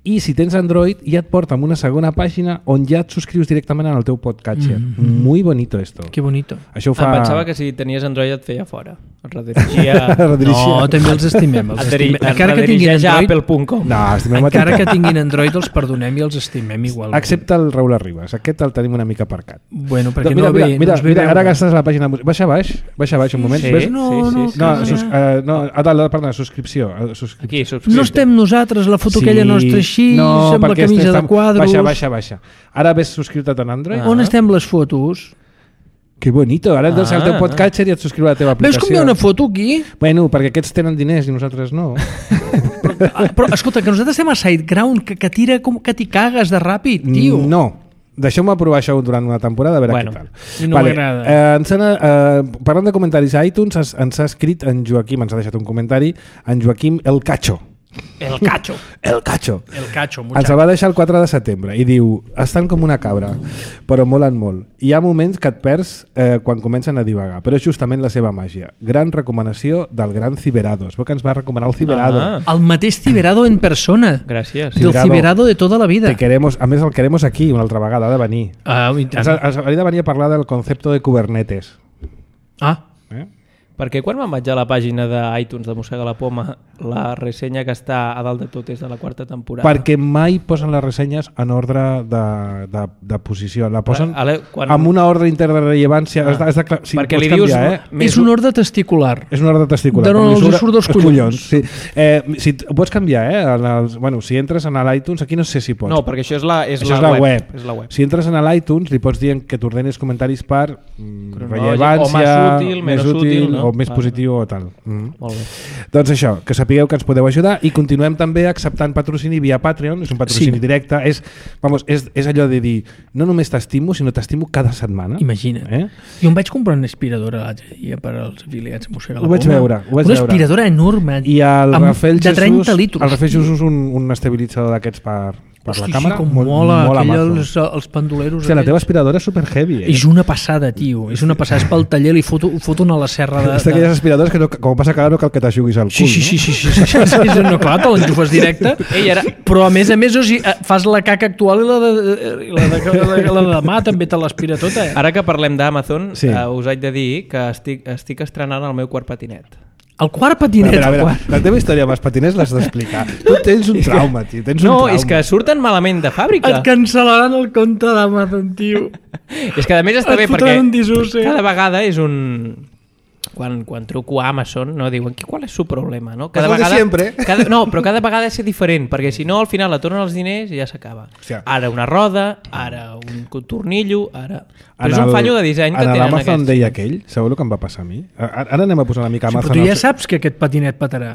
i si tens Android ja et porta a una segona pàgina on ja et subscrius directament al teu podcatcher. Muy bonito esto. Que bonito. Això ho fa... Pensava que si tenies Android et feia fora. Et redirigia... No, també els estimem. Encara que tinguin Android... Apple.com. No, estimem encara que tinguin Android els perdonem i els estimem igual. Excepte el Raül Arribas. Aquest el tenim una mica aparcat. Bueno, perquè mira, ara que estàs a la pàgina... Baixa baix un moment. Sí, ves? sí. Subscripció. Aquí, subscripció. No estem nosaltres, la foto aquella nostra així, sembla camisa de quadros... Baixa. Ara ves subscriure't en Android? On estem les fotos? Que bonito, ara et deixes el teu podcatcher i et subscriu a la teva aplicació. Veus com hi ha una foto aquí? Bueno, perquè aquests tenen diners i nosaltres no. Però escolta, que nosaltres estem a SiteGround, que tira com que t'hi cagues de ràpid, tio. No. Deixeu-me provar això durant una temporada a veure què tal. I no m'agrada. Parlant de comentaris a iTunes, ens ha escrit en Joaquim, ens ha deixat un comentari, en Joaquim El Cacho. El Cacho. Ens va deixar el 4 de setembre i diu: estan com una cabra, però molen molt. Hi ha moments que et perds quan comencen a divagar, però és justament la seva màgia. Gran recomanació del gran Ciberados. Veu que ens va recomanar el Ciberado. El mateix Ciberado en persona. Gràcies. Del Ciberado de tota la vida. A més, el queremos aquí una altra vegada, ha de venir. Ens hauria de venir a parlar del concepte de Kubernetes. Perquè quan me'n vaig a la pàgina d'iTunes de Mossega la Poma, la ressenya que està a dalt de tot és de la 4ª temporada? Perquè mai posen les ressenyes en ordre de posició. La posen amb una ordre interrellevància. Sí, perquè li dius... És un ordre testicular. És un ordre testicular. De no els surt dels collons. Sí. Si ho pots canviar, si entres a l'iTunes, aquí no sé si pots. No, perquè això és la web. És la web. Si entres a l'iTunes, li pots dir que t'ordenis comentaris per rellevància, o més útil, no? O més positiu o tal. Molt bé. Doncs això, que sapigueu que ens podeu ajudar i continuem també acceptant patrocini via Patreon, és un patrocini directe, és allò de dir, no només t'estimo, sinó t'estimo cada setmana. Imagina't. Jo em vaig comprar una aspiradora l'altre dia per als afiliats Mossega la Poma. Ho vaig veure. Una aspiradora enorme, i el Rafael de 30 litros. El Rafael Jesús un estabilitzador d'aquests per la càmera. Sí, com mola els pandoleros. La teva aspiradora és super heavy. És una passada, tio. És una passada. És pel taller, li foto una a la serra de... És d'aquelles aspiradores que com passa cada no cal que t'aixuguis el cul. Sí. No, clar, te l'enxufes directe. Però a més, fas la caca actual i la de demà també te l'aspira tota. Ara que parlem d'Amazon, us haig de dir que estic estrenant el meu quart patinet. El quart patinet. A veure, la teva història amb els patinets l'has d'explicar. Tu tens un trauma, tio. És que surten malament de fàbrica. Et cancel·laran el compte d'Amazon, tio. És que a més està bé perquè cada vegada és un... Quan truco a Amazon, no, diuen, ¿cuál es su problema? No? Cada vegada, sempre. Però cada vegada és diferent, perquè si no, al final la tornen els diners i ja s'acaba. Ara una roda, ara un tornillo, ara... Però és un fallo de disseny que tenen aquests. En l'Amazon deia aquell, sabeu el que em va passar a mi? Ara anem a posar una mica Amazon... Però tu ja saps que aquest patinet petarà.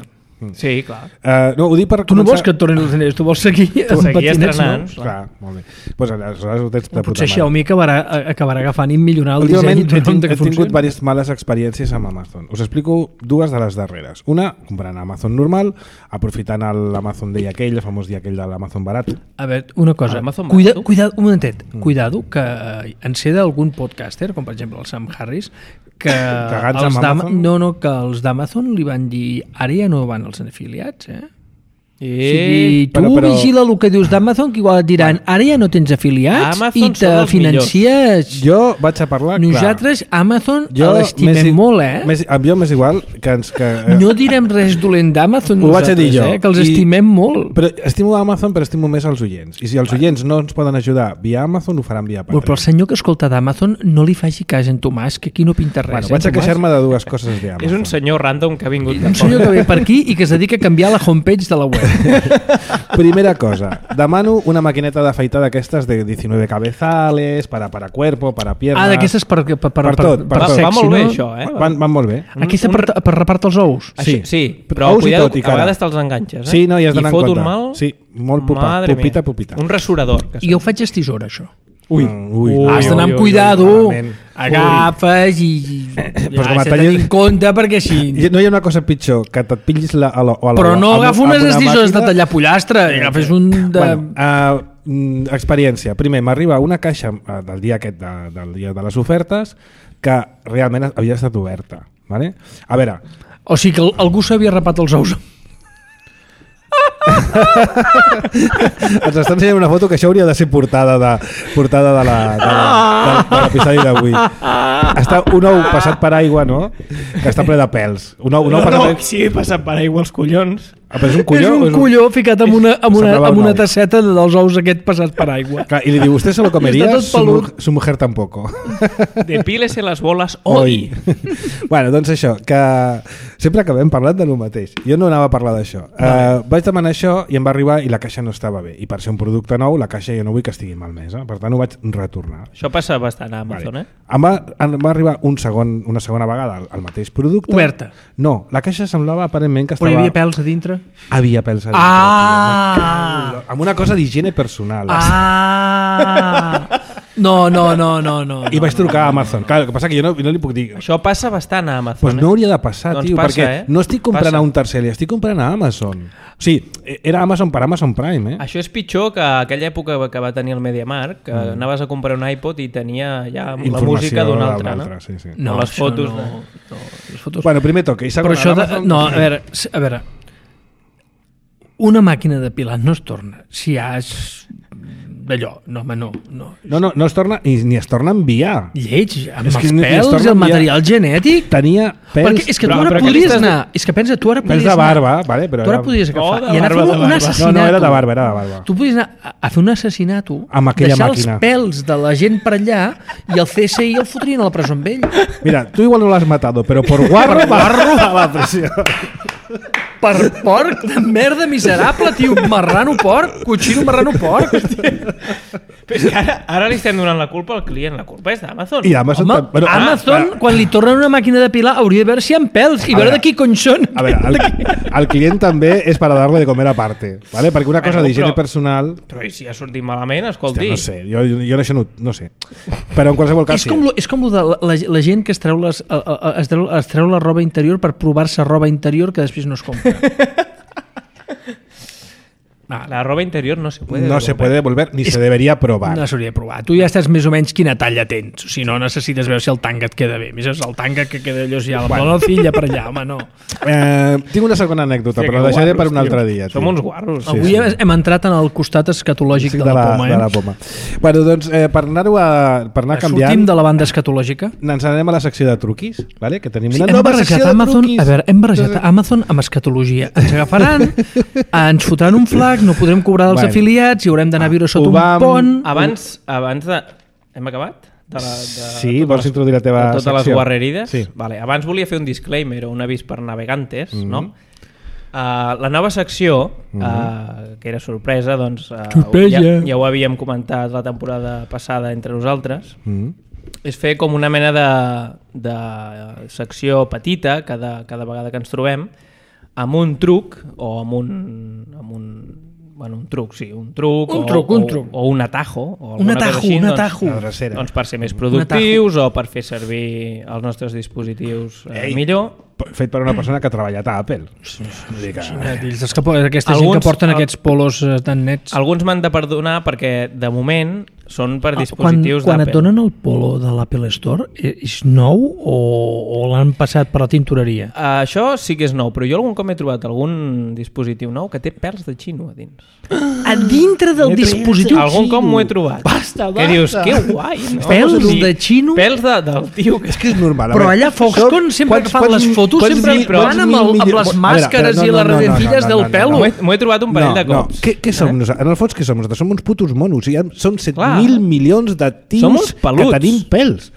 Sí, clar. No, ho dic per tu no vols que et tornin els diners, tu vols seguir estrenant. No? Clar, molt bé. Pues, aleshores ho tens de potser Xiaomi acabarà agafant i millorar el disseny. Últimament he tingut diverses males experiències amb Amazon. Us explico dues de les darreres. Una, comprant Amazon normal, aprofitant l'Amazon Day aquell, el famós dia aquell de l'Amazon barat. A veure, una cosa, cuidado, un momentet, cuidado que en sé d'algun podcaster, com per exemple el Sam Harris, que els d'Amazon li van dir ara ja no van els afiliats, O sigui, tu Però- vigila el que dius d'Amazon, que igual et diran, ara ja no tens afiliats Amazon i són te els financies. Jo vaig a parlar, Nosaltres, Amazon, Jo l'estimem molt, Jo m'és igual que No direm res dolent d'Amazon Ho vaig a dir nosaltres, jo. que els I- estimem molt. Però estimo Amazon, però estimo més els oients. I si els oients no ens poden ajudar via Amazon, ho faran via Però Patreon. el senyor que escolta d'Amazon no li faci cas en Tomàs, que aquí no pinta res. Bueno, vaig a Tomàs? queixar-me de dues coses d'Amazon. És un senyor random que ha vingut de Un senyor que ve per aquí i que es dedica a canviar la homepage de la web. Primera cosa, demano una maquineta d'afaitar d'aquestes de 19 cabezales, para cuerpo, para piernas... D'aquestes per Per tot, per tot. sexy, Va molt bé, no? això, eh? Van molt bé. Aquesta per repart els ous. Sí. Sí, però Ous i cuidado, tot, i a cara. vegades te'ls enganxes, eh? Sí, no, hi has d'anar en I fot compte. un mal... Sí, molt Madre pupita, mia. pupita. Un rasurador. Que I jo ho faig a tisora, això. Ui, Has d'anar amb cuidado, malament. agafes i Pues com has et de tenir tallis- en compte perquè així... No hi ha una cosa pitjor que te't pillis Però no agafa unes tisores de tallar pollastre, agafes un de... Bueno, experiència. Primer, m'arriba una caixa del dia aquest, del dia de les ofertes, que realment havia estat oberta. Vale? A veure, O sigui que algú s'havia rapat els ous. ens està ensenyant una foto que això hauria de ser portada de l'episodi d'avui. Està un ou passat per aigua, no? Que està ple de pèls. Un ou passat per... sí, passat per aigua els collons. Però és un colló? És un colló ficat amb Semblava un una ou. tasseta dels ous aquest passats per aigua. Clar, i li diu, ¿usted se lo comería? Està tot pelut. Su mujer tampoco. Depílese les boles hoy. Bueno, doncs això, que sempre acabem parlant de lo mateix. Jo no anava a parlar d'això. Vaig demanar això i em va arribar i la caixa no estava bé. I per ser un producte nou, la caixa jo no vull que estigui malmesa. Per tant, ho vaig retornar. Això passa bastant a Amazon, Vale. eh? Em va arribar una segona vegada el mateix producte. Oberta. No, la caixa semblava aparentment que Però estava... hi havia pèls a dintre? Havia pèls a dintre. Ah! tio. Amb una cosa d'higiene personal. Ah! No. I vaig trucar a Amazon. Clar, el que passa que jo no li puc dir... Això passa bastant a Amazon, Pues no hauria de passar, Doncs tio, passa, perquè eh? no estic comprant Passa. a un tercer, estic comprant a Amazon. O sigui, era Amazon per Amazon Prime, eh? Això és pitjor que aquella època que va tenir el MediaMarkt, que anaves a comprar un iPod i tenia ja la música d'un altre, no? Sí, sí. No, les això fotos no, de- no, les fotos... Bueno, primer toque. I segon, Però això... Amazon... No, a veure... Una màquina de pilar no es torna. Si has... d'allò, no, home, no. No es torna, ni es torna a enviar. Lleig, amb És els que ni es pèls torna i el a enviar. material genètic. Tenia pèls... Perquè és que tu Però- ara però què li podries estàs anar... És que pensa, tu ara Pèls podries de anar... barba, vale? Però Tu ara era- podries agafar de i anar a fer barba, de un barba. assassinato. No, era de barba, era de barba. Tu podries anar a fer un assassinato, Amb aquella deixar màquina. els pèls de la gent per allà i el CSI el fotrien a la presó amb ell. Mira, tu igual no l'has matado, però por guarro a la pressió. Per porc de merda miserable, tio. Marrano porc, cochino marrano porc. Però és que ara li estem donant la culpa al client. La culpa és d'Amazon. I Amazon... Home, bueno, Amazon, quan li tornen una màquina de pilar, hauria de veure si hi ha pèls i A veure veure, de qui cony són. A veure, el client també és para darle de comer aparte, ¿vale? Perquè una cosa Bueno, d'higiene però- personal... Però i si ha sortit malament, escolti. Hòstia, no sé, jo això no sé. Però en qualsevol cas... És com lo de la gent que es treu es treu la roba interior per provar-se roba interior que després no es compra. La roba interior no se puede No se puede devolver ni se debería probar. No s'hauria de provar. Tu ja estàs més o menys quina talla tens. Si no, necessites veure si el tanga et queda bé. Més és el tanga que queda allò, si ja la nocilla per allà, home, no. Tinc una segona anècdota, Hòstia, però que la deixaré guarros, per un tio. altre dia. Som uns guarros. Sí, Avui sí. hem entrat en el costat escatològic de la poma, de la poma. Bueno, doncs, per anar canviant... Sortim de la banda escatològica. Ens anem a la secció de truquis, vale? Que tenim Sí, una hem nova barrejat secció de Amazon, truquis. a veure, hem barrejat Amazon amb escatologia. Ens agafaran, ens fotran un flac, no podrem cobrar dels Bueno. afiliats i haurem d'anar a viure sota un pont. Abans de... Hem acabat? Sí, vols introduir la teva de totes les secció? guarrerides? Sí. Vale, abans volia fer un disclaimer o un avís per navegantes, no? La nova secció, que era sorpresa, doncs Sorpresa. ja ho havíem comentat la temporada passada entre nosaltres, Mm. és fer com una mena de secció petita cada vegada que ens trobem, amb un truc o amb un truc, sí, un truc o un atajo o Un alguna cosa atajo, així, un doncs, atajo. La drecera. doncs per ser més productius o per fer servir els nostres dispositius millor. Fet per una persona que ha treballat a Apple. Aquesta gent que Alguns- porten aquests polos tan nets. Alguns m'han de perdonar perquè de moment són per dispositius Quan et d'Apple. donen el Polo de l'Apple Store, és nou o l'han passat per la tintoreria? Això sí que és nou, però jo algun cop he trobat algun dispositiu nou que té pèls de xino a dins. A dintre del dispositiu Algun cop m'ho he trobat. Basta. Que dius, que guai, no? Pèls O sigui, de xino? Pèls del tio que... És que és normal. Però allà Foxconn sempre que fan les fotos sempre van amb les màscares i les redentilles del pèl. M'ho he trobat un parell de cops. Què som nosaltres? En el fons, què som nosaltres? Som uns putos monos. Són Clar. 7.000 milions de Som uns tios que peluts. tenim pèls.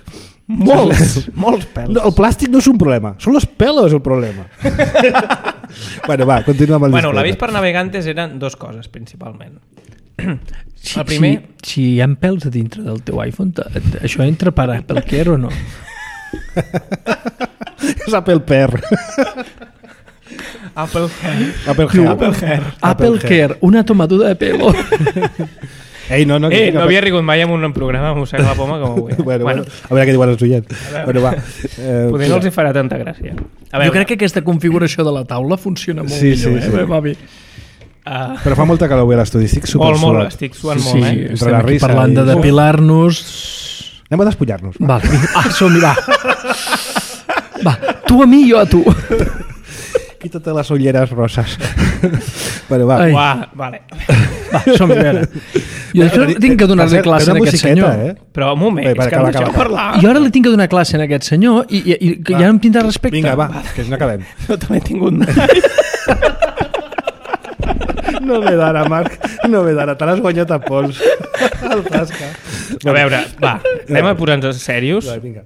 Molts pèls. No, el plàstic no és un problema, són los pelos el problema. Bueno, va, continua amb el Bueno, disclaimer. l'avís per navegantes eren dues coses, principalment. Si, El primer... si hi ha pèls a dintre del teu iPhone, això entra per Apple Care o no? És Apple Pear. Apple Care. Apple Care, una tomadura de pelo. Ei, no No havia rigut mai en un programa amb Mossega la Poma com avui. Bueno, a veure què diuen els oients. Bueno, va. Potser no els hi farà tanta gràcia. A veure, Jo crec que aquesta configuració de la taula funciona molt millor. Sí. Va bé. Però fa molta calor avui a l'estudi, estic molt, supersudat. estic suant molt, Entre estem la aquí risa parlant i- de depilar-nos. Anem a despullar-nos. Va. Vale. Som-hi, va. Va, tu a mi, jo a tu. Quítate les ulleres roses. Bueno, va. Ai. Uah, vale. Va, som-hi, a veure. Jo això tinc que donar-li classe a aquest senyor. Però un moment, Bé, és que acaba, em deixeu acaba. parlar. Jo ara li tinc que donar classe a aquest senyor i que ja em tindrà respecte. Vinga, va, que no acabem. Jo també he tingut... No ve d'ara, Marc. No ve d'ara. Te l'has guanyat a pols. El tasca. A veure, va, anem a posar-nos serios. Va, vinga.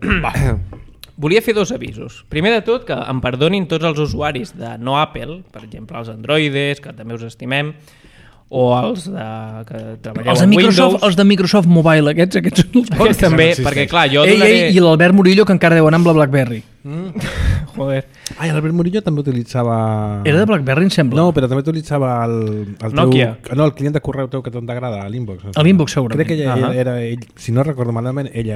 Volia fer dos avisos. Primer de tot, que em perdonin tots els usuaris de no Apple, per exemple, els androides, que també us estimem, o els que treballeu Els de amb Microsoft, Windows. els de Microsoft Mobile, aquests són els bons. Aquests també, existeix. perquè clar, jo Ei, donaré... i l'Albert Murillo, que encara deu anar amb la BlackBerry. Joder. Ai, l'Albert Murillo també utilitzava... Era de BlackBerry, em sembla. No, però també utilitzava el teu... Nokia. No, el client de correu teu que tant t'agrada, l'Inbox. A l'Inbox, segurament. Crec que era ell, si no recordo malament, ell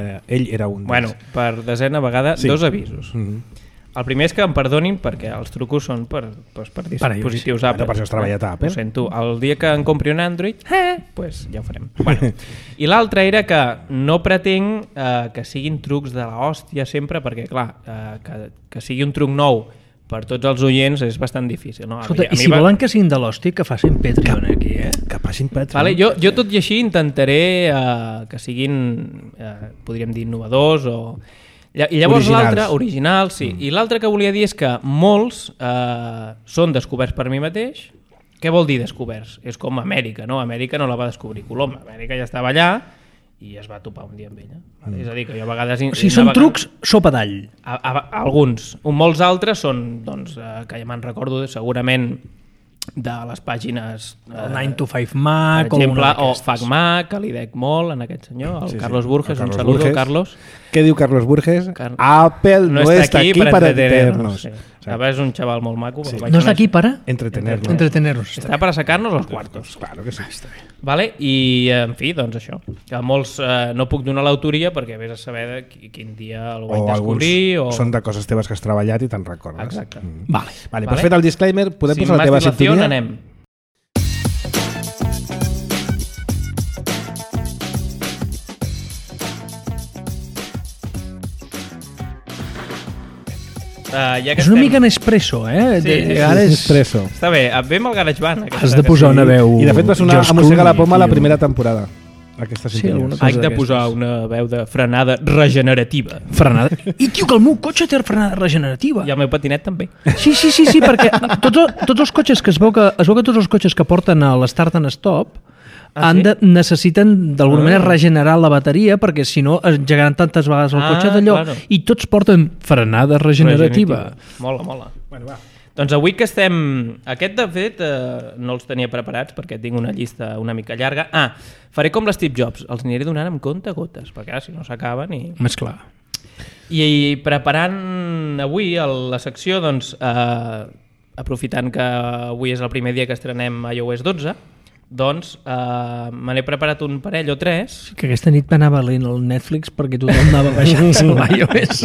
era un Bueno, per desena vegada, Sí. dos avisos. El primer és que em perdonin perquè els trucos són per dispositius Apple. Per això has treballat a Apple. Ho sento. El dia que en compri un Android, pues ja ho farem. Bueno. I l'altre era que no pretenc que siguin trucs de l'hòstia sempre, perquè clar, que sigui un truc nou per tots els oients és bastant difícil. No? Escolta, i si volen que siguin de l'hòstia, que facin Patreon aquí, Que passin Patreon. Vale, jo tot i així intentaré que siguin, podríem dir, innovadors o... I llavors Originals. l'altre, original, sí. I l'altre que volia dir és que molts són descoberts per mi mateix. Què vol dir descoberts? És com Amèrica, no? Amèrica no la va descobrir Colom. Amèrica ja estava allà i es va topar un dia amb ella. Vale? És a dir, que jo a vegades... O sigui, són trucs sopa d'all. Alguns. Molts altres són, doncs, que ja me'n recordo segurament de les pàgines... El 9 to 5 Mac per exemple, o o FacMac, que li dec molt en aquest senyor, el Carlos Burges, Carlos un saludo, Burges. Carlos. Què diu Carlos Burges? Car- Apple no está aquí para entretenernos. Sí. És un xaval molt maco. Sí. No està aquí para Entretenernos. entretenernos. Està per sacar-nos els quartos. Claro que sí. Està bé. Vale? I, en fi, doncs això. Que molts no puc donar l'autoria perquè vés a saber de quin dia el vaig O alguns descobrir. són de coses teves que has treballat i te'n recordes. Exacte. Vale. Vale, pues fet el disclaimer, podem Sin posar la teva más dilación, sintonia? anem. Ja que És una estem- mica en espresso, eh? Sí, De sí, vegades Espresso. Està bé, ve amb el GarageBand. aquesta has de posar una veu... I de fet va sonar George a Mossega la Clooney, Poma la tio. primera temporada. Aquesta Sí, sintonia. alguna cosa Haig de d'aquestes. posar una veu de frenada regenerativa. Frenada. I, tio, que el meu cotxe té frenada regenerativa. I el meu patinet també. Sí, perquè tots els cotxes que es veu que tots els cotxes que porten a l'Start and Stop necessiten d'alguna manera regenerar la bateria perquè si no engegaran tantes vegades el cotxe d'allò claro. i tots porten frenada regenerativa. Mola, mola. Bueno, va. Doncs avui que estem... Aquest, de fet, no els tenia preparats perquè tinc una llista una mica llarga. Faré com l'Steve Jobs, els aniré donant amb compte gotes, perquè ara si no s'acaben i... Més clar. I preparant avui la secció, doncs, aprofitant que avui és el primer dia que estrenem iOS 12, Doncs me n'he preparat un parell o 3. Que aquesta nit m'anava lent el Netflix perquè tothom anava baixant-se l'iOS.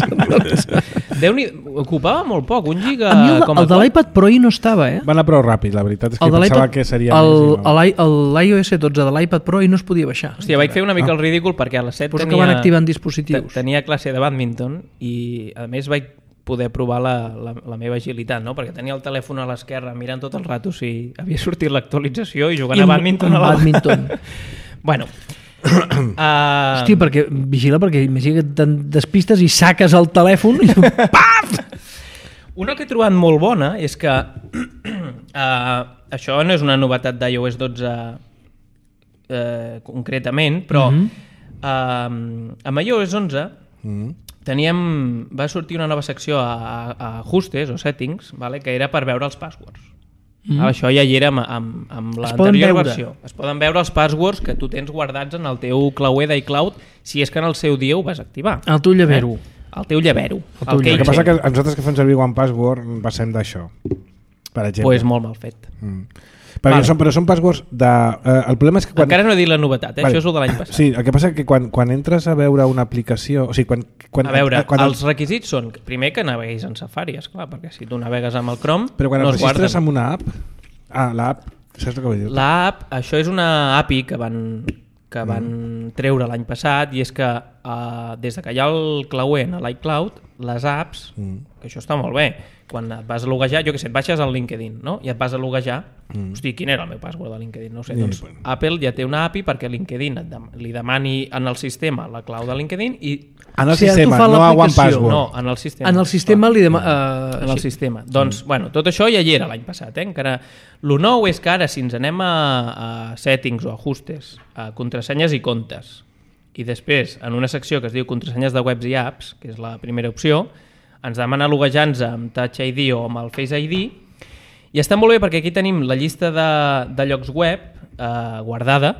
Déu-n'hi, ocupava molt poc, 1 giga... A mi el de l'iPad Pro no estava, Va anar prou ràpid, la veritat és que El de pensava l'iPad- que seria més. l'iOS 12 de l'iPad Pro no es podia baixar. Hòstia, vaig fer una mica el ridícul perquè a les 7 Pues que van activant dispositius. tenia classe de bàdminton i a més vaig poder provar la meva agilitat, no? Perquè tenia el telèfon a l'esquerra mirant tot el rato si havia sortit l'actualització i jugant a bàdminton a la... bàdminton. Bueno. Hòstia, perquè vigila, perquè imagina que te'n despistes i saques el telèfon i paf! Una que he trobat molt bona és que això no és una novetat d'iOS 12 concretament, però amb iOS 11 va sortir una nova secció a ajustes o settings, vale, que era per veure els passwords. Això ja hi era amb l'anterior versió. Es poden veure els passwords que tu tens guardats en el teu clauer d'iCloud si és que en el seu dia ho vas activar. El teu llavero. El teu llavero. El que passa que nosaltres que fem servir OnePassword passem d'això, per exemple. Pues molt mal fet. Però són passwords de... el problema és que encara no he dit la novetat, això és el de l'any passat. Sí, el que passa és que quan entres a veure una aplicació... O sigui, a veure, els requisits són primer que naveguis en Safari, esclar, perquè si tu navegues amb el Chrome però quan no et es guarden. registres amb una app... l'app, saps el que vull dir? L'app, això és una API que van treure l'any passat i és que des de que hi ha el clauer a l'iCloud, les apps, que això està molt bé, quan et vas a loguejar, jo què sé, et baixes al LinkedIn, no? I et vas a loguejar, hosti, quin era el meu password de LinkedIn? No ho sé, doncs Apple ja té una API perquè LinkedIn li demani en el sistema la clau de LinkedIn i... En el sistema, no a OnePassword. No, en el sistema. En el sistema li demana... En el sistema. Doncs, bueno, tot això ja hi era l'any passat, encara... Lo nou és que ara, si ens anem a settings o ajustes, a contrasenyes i comptes, i després, en una secció que es diu contrasenyes de webs i apps, que és la primera opció, ens demana loguejar-nos amb Touch ID o amb el Face ID, i està molt bé perquè aquí tenim la llista de llocs web guardada,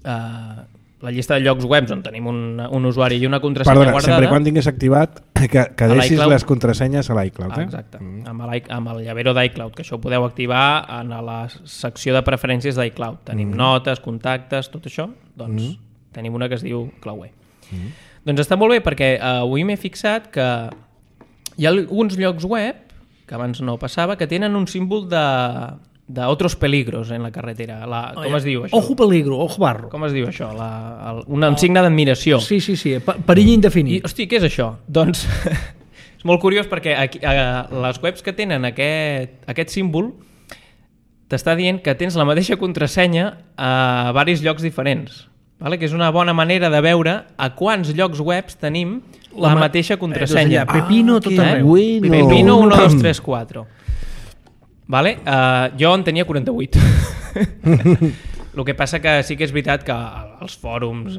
la llista de llocs web on tenim un usuari i una contrasenya guardada. Sempre quan tingués activat que deixis les contrasenyes a l'iCloud. Exacte, amb el llavero d'iCloud, que això ho podeu activar en la secció de preferències d'iCloud. Tenim notes, contactes, tot això, doncs tenim una que es diu clauer. Doncs està molt bé perquè avui m'he fixat que hi ha alguns llocs web, que abans no passava, que tenen un símbol de otros peligros en la carretera. Com es diu això? Ojo peligro, ojo barro. Com es diu això? Un signe d'admiració. Sí, perill indefinit. I, hosti, què és això? Doncs és molt curiós perquè les webs que tenen aquest símbol t'està dient que tens la mateixa contrasenya a diversos llocs diferents. Vale? Que és una bona manera de veure a quants llocs webs tenim la mateixa contrasenya. Pepino tot arreu. Pepino 1, 2, 3, 4. Vale? Jo en tenia 48. El que passa que sí que és veritat que els fòrums,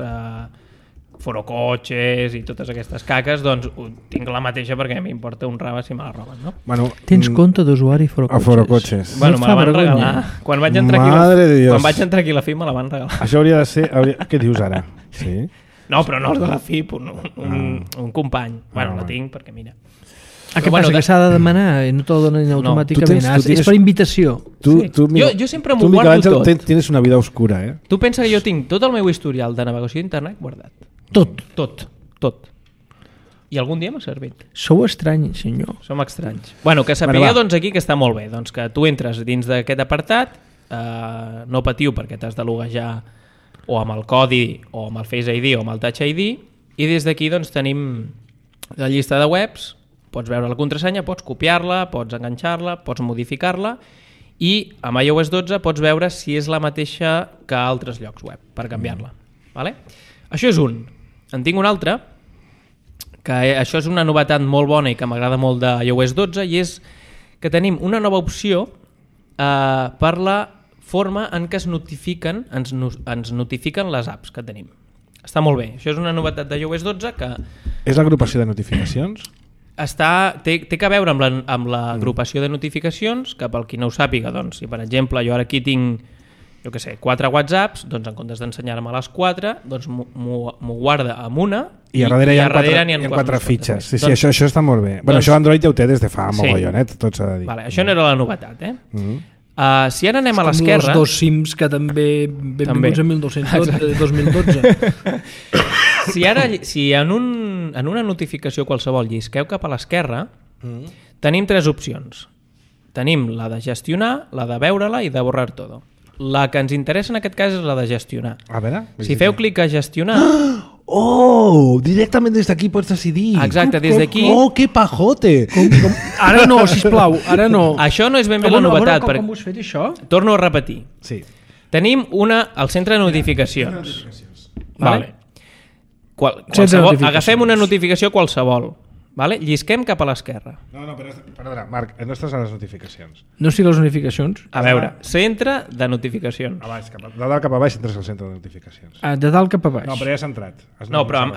Forocoches i totes aquestes caques, doncs tinc la mateixa perquè m'importa un rave si me la roben, no? Bueno, tens compte d'usuari Forocoches? Bueno, me la van regalar. Quan vaig entrar aquí a la FIP me la van regalar. Això hauria de ser... Què dius ara? Sí? No, però no els de la FIP, un company. Bueno, la tinc perquè mira... Què passa? Que s'ha de demanar i no te la donen automàticament? És per invitació. Jo sempre m'ho guardo tot. Tienes una vida oscura, eh? Tu pensa que jo tinc tot el meu historial de navegació d'internet guardat. Tot. I algun dia m'ha servit. Sou estranys, senyor. Som estranys. Bueno, que sapigueu doncs aquí que està molt bé. Doncs que tu entres dins d'aquest apartat, no patiu perquè t'has de loguejar o amb el codi o amb el Face ID o amb el Touch ID, i des d'aquí doncs tenim la llista de webs, pots veure la contrasenya, pots copiar-la, pots enganxar-la, pots modificar-la, i amb iOS 12 pots veure si és la mateixa que altres llocs web per canviar-la. Vale? Això és un. En tinc un altre, que això és una novetat molt bona i que m'agrada molt de iOS 12, i és que tenim una nova opció per la forma en què ens notifiquen les apps que tenim. Està molt bé. Això és una novetat de iOS 12 que... És l'agrupació de notificacions? Té que veure amb l'agrupació de notificacions, que pel qui no ho sàpiga, doncs, si per exemple jo ara aquí tinc, jo què sé, 4 WhatsApps, doncs en comptes d'ensenyar-me les 4, doncs m'ho guarda amb una i a darrere hi ha 4 fitxes. Sí, doncs, això està molt bé. Bueno, això Android ja ho té des de fa mogollon, tot s'ha de dir. Vale, això no era la novetat, Si ara anem a Com l'esquerra... els dos Sims que també benvinguts a 1212, 2012. Si en una notificació qualsevol llisqueu cap a l'esquerra, tenim 3 opcions. Tenim la de gestionar, la de veure-la i de borrar todo. La que ens interessa en aquest cas és la de gestionar. A veure... Si feu clic a gestionar... Oh, directament des d'aquí pots decidir. Exacte, des d'aquí... Oh, que pajote! Ara no, sisplau, ara no. Això no és ben bé la novetat. Com ho has fet, això? Torno a repetir. Sí. Tenim al centre de notificacions. Vale. Agafem una notificació qualsevol. Vale? Llisquem cap a l'esquerra. No, perdona, Marc, no estàs a les notificacions. No estic a les notificacions? A veure, centre de notificacions. De dalt cap a baix entres al centre de notificacions. De dalt cap a baix. No, però ja has entrat. No, però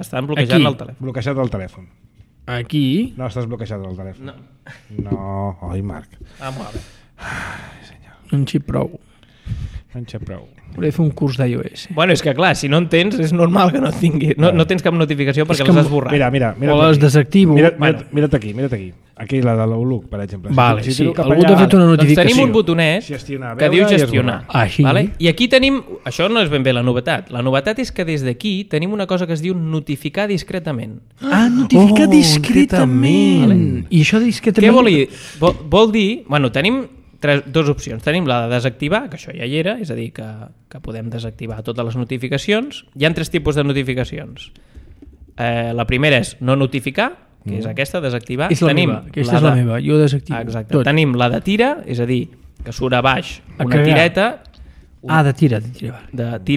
estan bloquejant el telèfon. Bloquejat el telèfon. Aquí? No, estàs bloquejat el telèfon. No, oi, Marc. Vamos a ver. Ai, senyor. No en xip prou. No en xip prou. Hauré de fer un curs d'iOS. Bueno, és que clar, si no en tens, és normal que no tinguis. No tens cap notificació perquè les has borrat. Mira. O les desactivo. Mira't aquí. Aquí la de l'Outlook, per exemple. Vale, sí. Algú t'ha fet una notificació. Doncs tenim un botonet que diu gestionar. Vale? I aquí tenim... Això no és ben bé la novetat. La novetat és que des d'aquí tenim una cosa que es diu notificar discretament. Notificar discretament. I això discretament... Què vol dir? Vol dir... Bueno, tenim... Dos opcions. Tenim la de desactivar, que això ja hi era, és a dir, que podem desactivar totes les notificacions. Hi ha 3 tipus de notificacions. La primera és no notificar, que és aquesta, desactivar. És la meva, aquesta és la meva, jo desactivo. Exacte. Tot. Tenim la de tira, és a dir, que surt a baix una tireta. De tira.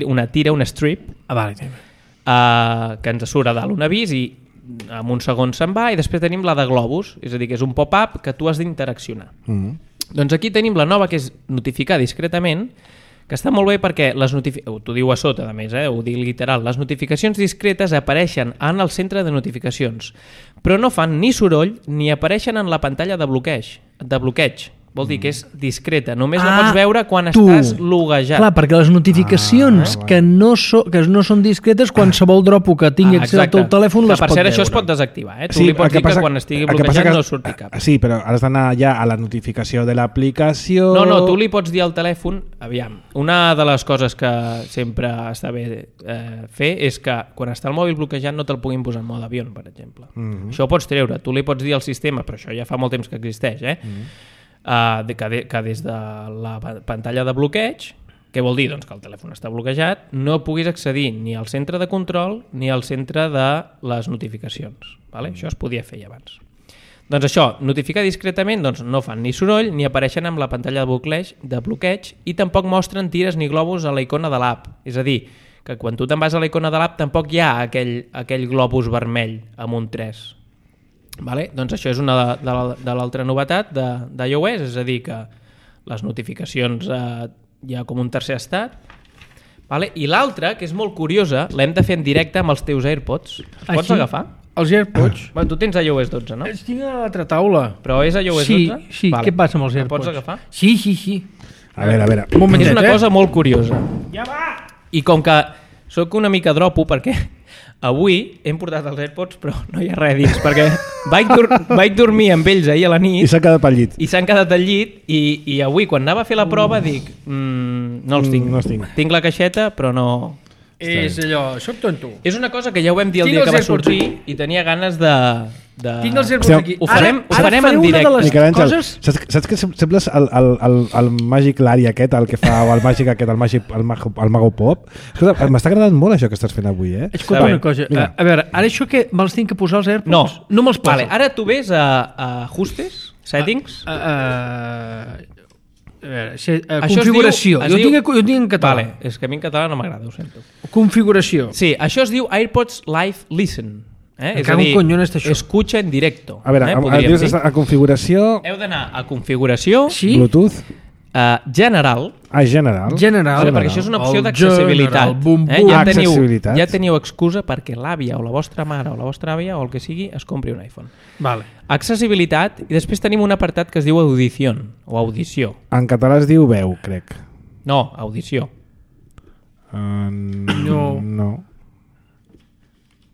Una tira, un strip. Vale. Que ens surt a dalt un avís i en un segon se'n va, i després tenim la de globus, és a dir, que és un pop-up que tu has d'interaccionar. Doncs aquí tenim la nova, que és notificar discretament, que està molt bé perquè t'ho diu a sota, a més, ho dic literal, les notificacions discretes apareixen en el centre de notificacions, però no fan ni soroll ni apareixen en la pantalla de bloqueig. Vol dir que és discreta, només la pots veure quan estàs loguejat. Clar, perquè les notificacions que no són discretes, qualsevol dropo que tingui accés al teu telèfon les pot veure. Per cert, això es pot desactivar. Tu li pots dir que quan estigui bloquejat no surti cap. Sí, però has d'anar ja a la notificació de l'aplicació... No, tu li pots dir al telèfon... Aviam, una de les coses que sempre està bé fer és que quan està el mòbil bloquejat no te'l puguin posar en mode avió, per exemple. Això ho pots treure. Tu li pots dir al sistema, però això ja fa molt temps que existeix, que des de la pantalla de bloqueig, què vol dir? Doncs que el telèfon està bloquejat, no puguis accedir ni al centre de control ni al centre de les notificacions. Vale? Això es podia fer ja abans. Doncs això, notificar discretament, doncs no fan ni soroll ni apareixen amb la pantalla de bloqueig i tampoc mostren tires ni globus a la icona de l'app. És a dir, que quan tu te'n vas a la icona de l'app tampoc hi ha aquell globus vermell amb un 3. Vale? Doncs això és una de l'altra novetat d'iOS, és a dir, que les notificacions hi ha com un tercer estat. Vale? I l'altra, que és molt curiosa, l'hem de fer en directe amb els teus AirPods. Els pots agafar? Els AirPods? Bueno, tu tens iOS 12, no? Els tinc a l'altra taula. Però és iOS 12? Sí. Vale. Què passa amb els AirPods? Pots agafar? Sí. A veure. Un momentet, és una cosa molt curiosa. Ja va! I com que sóc una mica dropo, perquè avui hem portat els AirPods però no hi ha res dins, perquè vaig dormir amb ells ahir a la nit i s'han quedat al llit. I s'han quedat al llit i avui quan anava a fer la prova dic no els tinc. No els tinc. Tinc la caixeta però no... És allò, soc tonto. És una cosa que ja ho vam dir el dia que va sortir i tenia ganes de... Tinc els AirPods aquí. Ho farem en directe. Miquel Àngel, saps que sembles el màgic Lari aquest, el que fa el màgic aquest, el Mago Pop? Escolta, m'està agradant molt això que estàs fent avui, Escolta una cosa, a veure, ara això que me'ls tinc que posar els AirPods? No me'ls poso. Vale, ara tu ves a ajustes, settings... configuració. Jo tinc en català. Vale, és que a mi en català no m'agrada, ho sento. Configuració. Sí, això es diu AirPods Live Listen. És a dir, escucha en directo. A veure, a configuració... Heu d'anar a configuració... Bluetooth... general. General. Perquè això és una opció d'accessibilitat. Ja teniu excusa perquè l'àvia o la vostra mare o la vostra àvia o el que sigui es compri un iPhone. Vale. Accessibilitat, i després tenim un apartat que es diu audició o audició. En català es diu veu, crec. No, audició. No.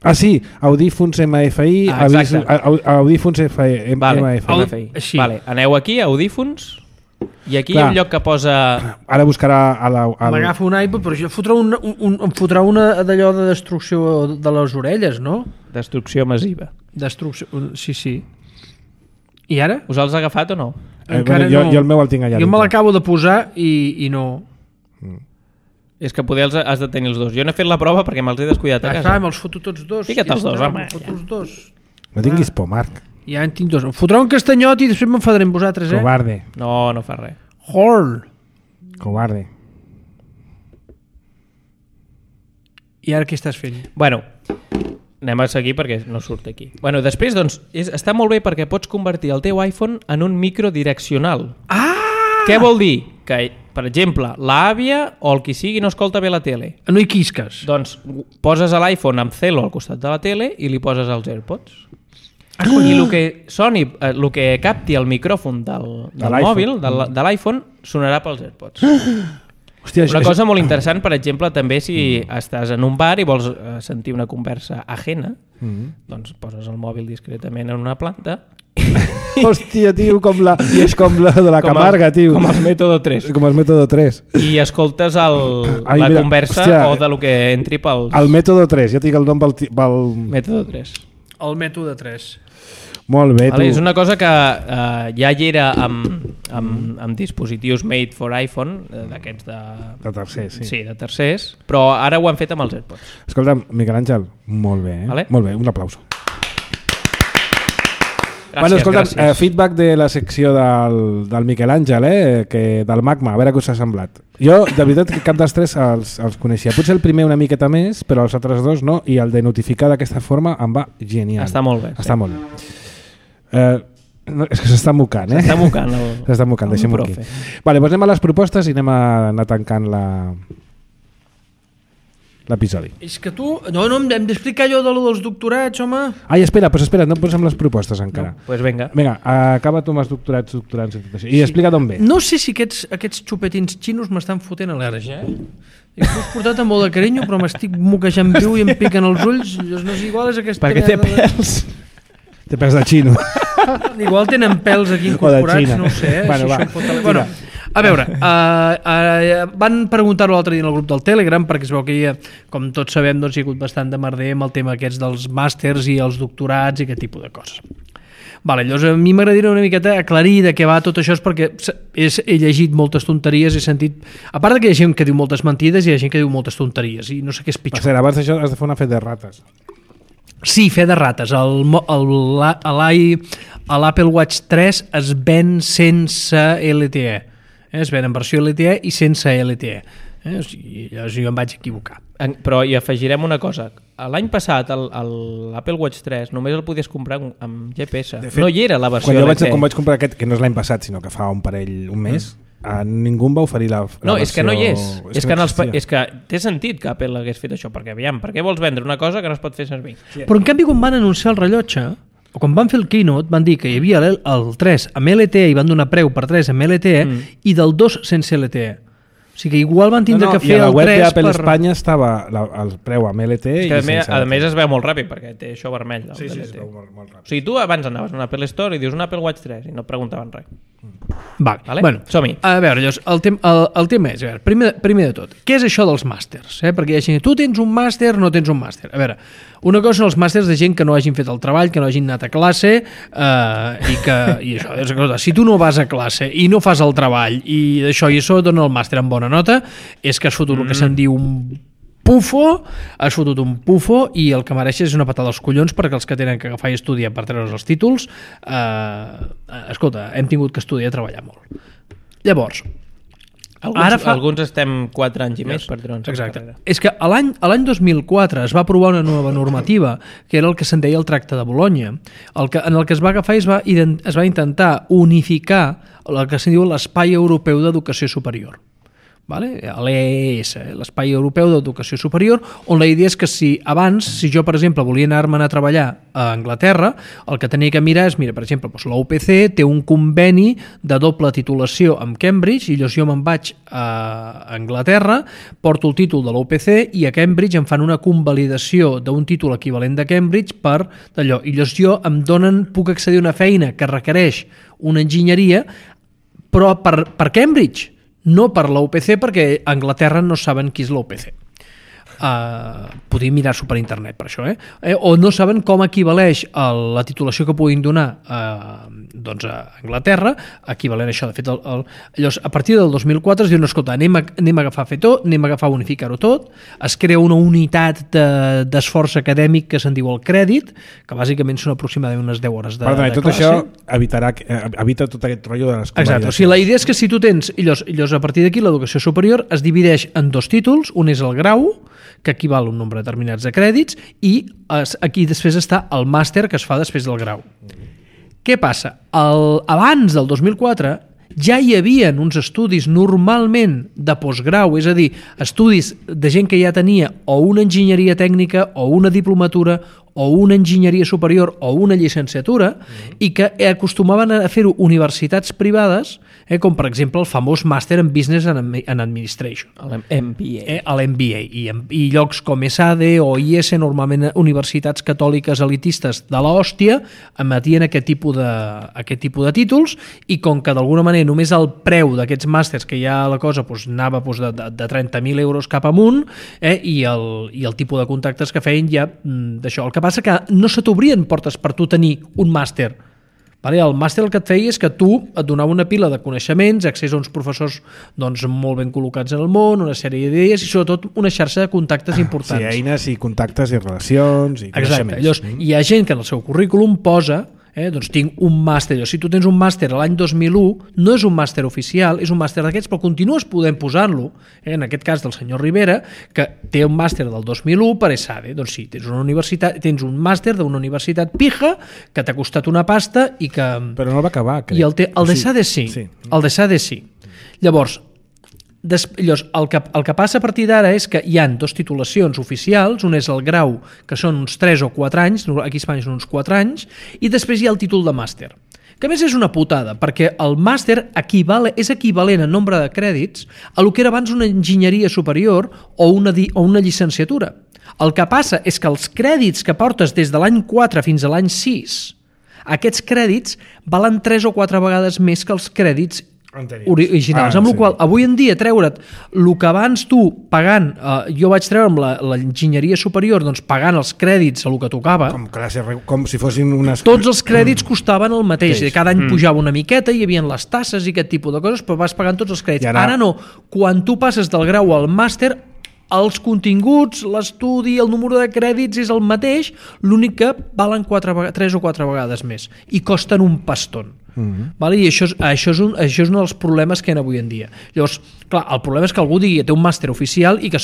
Ah, sí, audífons MFI, audífons MFI. Vale. Aneu aquí, audífons, I aquí hi ha un lloc que posa... Ara buscarà M'agafa un iPod, però això em fotrà una d'allò de destrucció de les orelles, no? Destrucció massiva. Destrucció, sí. I ara? Us els ha agafat o no? Encara jo no. el meu el tinc allà. Jo me l'acabo de posar i no. És que poder has de tenir els dos. Jo no he fet la prova perquè me'ls he descuidat a casa. Clar, me'ls foto tots dos. Fica't els dos, home. Me'ls foto els dos. No tinguis por, Marc. Ja en tinc dos. Em fotrà un castanyot i després m'enfadaré amb vosaltres, Covarde. No fa res. Horn. Covarde. I ara què estàs fent? Bueno, anem a seguir perquè no surt aquí. Bueno, després, doncs, està molt bé perquè pots convertir el teu iPhone en un microdireccional. Què vol dir? Que, per exemple, l'àvia o el qui sigui no escolta bé la tele. No hi quisques. Doncs poses l'iPhone amb Celo al costat de la tele i li poses els AirPods. I el que soni, el que capti el micròfon del mòbil, de l'iPhone, sonarà pels AirPods. Hòstia, Una cosa molt interessant, per exemple, també si estàs en un bar i vols sentir una conversa ajena, doncs poses el mòbil discretament en una planta. Hòstia, tio, com la de la Camarga, tio. Com el mètode 3. Com el mètode 3. I escoltes la conversa o de lo que entri pels... El mètode 3, ja tinc el nom pel... Mètode 3. El mètode 3. Molt bé, tu. És una cosa que ja hi era amb dispositius made for iPhone, d'aquests de... De tercers, sí. Sí, de tercers, però ara ho han fet amb els AirPods. Escolta'm, Miquel Àngel, molt bé, Vale. Molt bé, un aplauso. Gràcies, Bueno, escolta'm, gràcies. feedback de la secció del Miquel Àngel, del Magma, a veure què us ha semblat. Jo, de veritat, que cap dels tres els coneixia. Potser el primer una miqueta més, però els altres dos no, i el de notificar d'aquesta forma em va genial. Està molt bé. Està molt bé. No, és que s'està mocant, S'està mocant. S'està mocant, deixem-ho aquí. Vale, doncs anem a les propostes i anem a anar tancant l'episodi. És que tu... No, hem d'explicar allò dels doctorats, home. Ai, espera, no posem les propostes encara. Pues vinga. Vinga, acaba tu amb els doctorats i tot això. I explica d'on ve. No sé si aquests xupetins xinos m'estan fotent al·lèrgia, I t'ho has portat amb molt de carinyo, però m'estic moquejant viu i em piquen els ulls. No és igual, és aquesta... Perquè té pèls. Té pèls de xino. Igual tenen pèls aquí incorporats, no ho sé. Bueno, va. Bueno, a veure, van preguntar-ho l'altre dia en el grup del Telegram, perquè es veu que hi ha, com tots sabem, doncs hi ha hagut bastant de merder amb el tema aquests dels màsters i els doctorats i aquest tipus de coses. Vale, llavors a mi m'agradaria una miqueta aclarir de què va tot això, perquè he llegit moltes tonteries, he sentit... A part que hi ha gent que diu moltes mentides, hi ha gent que diu moltes tonteries, i no sé què és pitjor. Per cert, abans d'això has de fer una fe de rates. Sí, fe de rates. L'Apple Watch 3 es ven sense LTE. Es ven en versió LTE i sense LTE. O sigui, llavors jo em vaig equivocar. Però hi afegirem una cosa. L'any passat l'Apple Watch 3 només el podies comprar amb GPS. De fet, no hi era la versió LTE. Quan LTE. vaig comprar aquest, que no és l'any passat, sinó que fa un mes, ningú em va oferir la No, versió... és que no hi és. És que té sentit que Apple hagués fet això, perquè aviam, per què vols vendre una cosa que no es pot fer servir? Sí. Però en canvi quan van anunciar el rellotge, o quan van fer el keynote, van dir que hi havia el 3 amb LTE i van donar preu per 3 amb LTE i del 2 sense LTE. O sigui que igual van tindre que fer el 3 i a la web d'Apple Espanya estava el preu amb LTE És i que sense a LTE. més es veu molt ràpid perquè té això vermell. Sí, LTE. es veu molt ràpid. O sigui, tu abans anaves a un Apple Store i dius un Apple Watch 3 i no et preguntaven res. Vale. Bueno, som-hi. A veure, llavors, el tema és, a veure, primer de tot, què és això dels màsters? Perquè hi ha gent, tu tens un màster, no tens un màster. A veure, una cosa són els màsters de gent que no hagin fet el treball, que no hagin anat a classe i això, és cosa, si tu no vas a classe i no fas el treball i d'això i això dona el màster amb bona nota, és que has fotut el que se'n diu un pufo, has fotut un pufo i el que mereixes és una patada als collons perquè els que tenen que agafar i estudiar per treure's els títols escolta, hem tingut que estudiar i treballar molt. Llavors, Alguns estem 4 anys i més per treure'ns la exacte. carrera. És que l'any 2004 es va aprovar una nova normativa que era el que se'n deia el Tracte de Bologna, en el que es va agafar i es va intentar unificar el que se'n diu l'Espai Europeu d'Educació Superior. Vale? L'EES, l'Espai Europeu d'Educació Superior, on la idea és que si jo, per exemple, volia anar-me'n a treballar a Anglaterra, el que tenia que mirar és, mira, per exemple, la UPC té un conveni de doble titulació amb Cambridge, i llavors jo me'n vaig a Anglaterra, porto el títol de la UPC i a Cambridge em fan una convalidació d'un títol equivalent de Cambridge per d'allò. I llavors puc accedir a una feina que requereix una enginyeria però per Cambridge, no per la UPC, perquè a Anglaterra no saben qui és la UPC. Podríem mirar-s'ho per internet per això, o no saben com equivaleix la titulació que puguin donar doncs a Anglaterra, equivalent a això. De fet, llavors, a partir del 2004 es diu, no, escolta, anem a agafar fer tot, anem a agafar unificar-ho tot, es crea una unitat d'esforç acadèmic que se'n diu el crèdit, que bàsicament són aproximadament unes 10 hores de classe. Tot això evita tot aquest rotllo de les convalidacions. Exacte, o sigui, la idea és que si tu tens, llavors a partir d'aquí l'educació superior es divideix en 2 títols, un és el grau, que equival a un nombre determinats de crèdits, i aquí després està el màster que es fa després del grau. Què passa? Abans del 2004 ja hi havia uns estudis normalment de postgrau, és a dir, estudis de gent que ja tenia o una enginyeria tècnica o una diplomatura o una enginyeria superior o una llicenciatura i que acostumaven a fer-ho universitats privades, com per exemple el famós Màster en Business and Administration. L'MBA. L'MBA. I llocs com ESADE o IES, normalment universitats catòliques elitistes de l'hòstia, emetien aquest tipus de títols, i com que d'alguna manera només el preu d'aquests màsters, que ja la cosa anava de 30.000 euros cap amunt, i el tipus de contactes que feien ja d'això. El que passa que no se t'obrien portes per tu tenir un màster. El màster el que et feia és que tu et donava una pila de coneixements, accés a uns professors molt ben col·locats en el món, una sèrie d'idees i sobretot una xarxa de contactes importants. Sí, eines i contactes i relacions i coneixements. Exacte. Llavors, hi ha gent que en el seu currículum posa doncs tinc un màster. Si tu tens un màster l'any 2001, no és un màster oficial, és un màster d'aquests, però continues podent posar-lo, en aquest cas del senyor Rivera, que té un màster del 2001 per ESADE. Doncs sí, tens un màster d'una universitat pija que t'ha costat una pasta i que... Però no el va acabar, crec. I el d'ESADE sí. El d'ESADE sí. Llavors, el que passa a partir d'ara és que hi han 2 titulacions oficials, un és el grau, que són uns 3 o 4 anys, aquí a Espanya són uns 4 anys, i després hi ha el títol de màster, que a més és una putada, perquè el màster és equivalent en nombre de crèdits a el que era abans una enginyeria superior o una llicenciatura. El que passa és que els crèdits que portes des de l'any 4 fins a l'any 6, aquests crèdits valen 3 o 4 vegades més que els crèdits originals, amb la qual avui en dia treure't el que abans tu pagant, jo vaig treure amb l'enginyeria superior pagant els crèdits a el que tocava, com si fossin unes... tots els crèdits costaven el mateix, cada any pujava una miqueta, hi havia les tasses i aquest tipus de coses, però vas pagant tots els crèdits. Ara no, quan tu passes del grau al màster, els continguts, l'estudi, el número de crèdits és el mateix, l'únic que valen 3 o 4 vegades més i costen un paston. I això és un dels problemes que hi ha avui en dia. Llavors, clar, el problema és que algú digui que té un màster oficial i que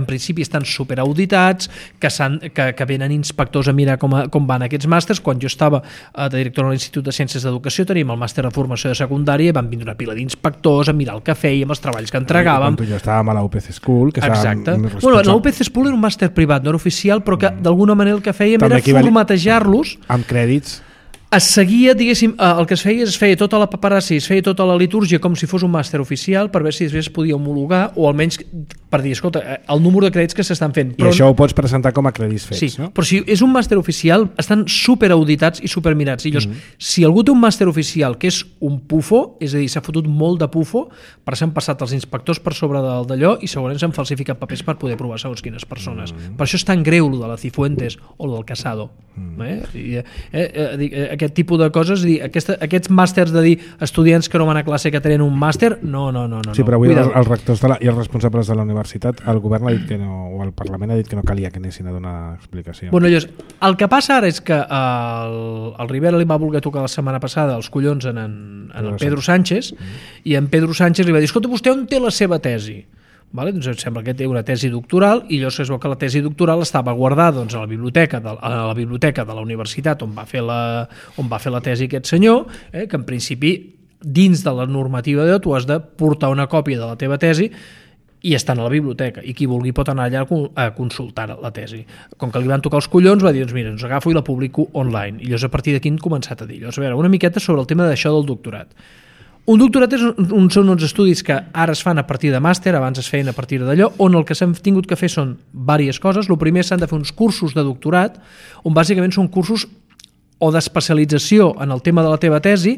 en principi estan superauditats, que venen inspectors a mirar com van aquests màsters. Quan jo estava de director a l'Institut de Ciències d'Educació teníem el màster de formació de secundària i van vindre una pila d'inspectors a mirar el que fèiem, els treballs que entregàvem. Quan tu jo estàvem a la UPC School, que exacte. La UPC School era un màster privat, no era oficial, però que d'alguna manera el que fèiem era formatejar-los amb crèdits. Es seguia, diguéssim, el que es feia tota la paperassa i es feia tota la litúrgia com si fos un màster oficial per veure si després es podia homologar o almenys per dir, escolta, el número de crèdits que s'estan fent. I això ho pots presentar com a crèdits fets, sí, no? Però si és un màster oficial estan superauditats i supermirats. I llavors, si algú té un màster oficial que és un pufo, és a dir, s'ha fotut molt de pufo, per s'han passat els inspectors per sobre d'allò i segurament s'han falsificat papers per poder provar segons quines persones. Per això és tan greu el de la Cifuentes o el del Casado. Aquest tipus de coses, aquests màsters de dir estudiants que no van a classe que tenen un màster, no. Sí, però avui els rectors i els responsables de la universitat, el govern ha dit que no, o el Parlament ha dit que no calia que anessin a donar explicació. Llavors, el que passa ara és que el Rivera li va voler tocar la setmana passada els collons en el Pedro Sánchez i en Pedro Sánchez li va dir, escolta, vostè on té la seva tesi? Doncs em sembla que té una tesi doctoral i llavors es veu que la tesi doctoral estava guardada a la biblioteca de la universitat on va fer la tesi aquest senyor, que en principi dins de la normativa tu has de portar una còpia de la teva tesi i està a la biblioteca i qui vulgui pot anar allà a consultar la tesi. Com que li van tocar els collons va dir, mira, agafo i la publico online i llavors a partir d'aquí han començat a dir a veure, una miqueta sobre el tema d'això del doctorat. Un doctorat són uns estudis que ara es fan a partir de màster, abans es feien a partir d'allò, on el que s'han tingut que fer són diverses coses. El primer s'han de fer uns cursos de doctorat, on bàsicament són cursos o d'especialització en el tema de la teva tesi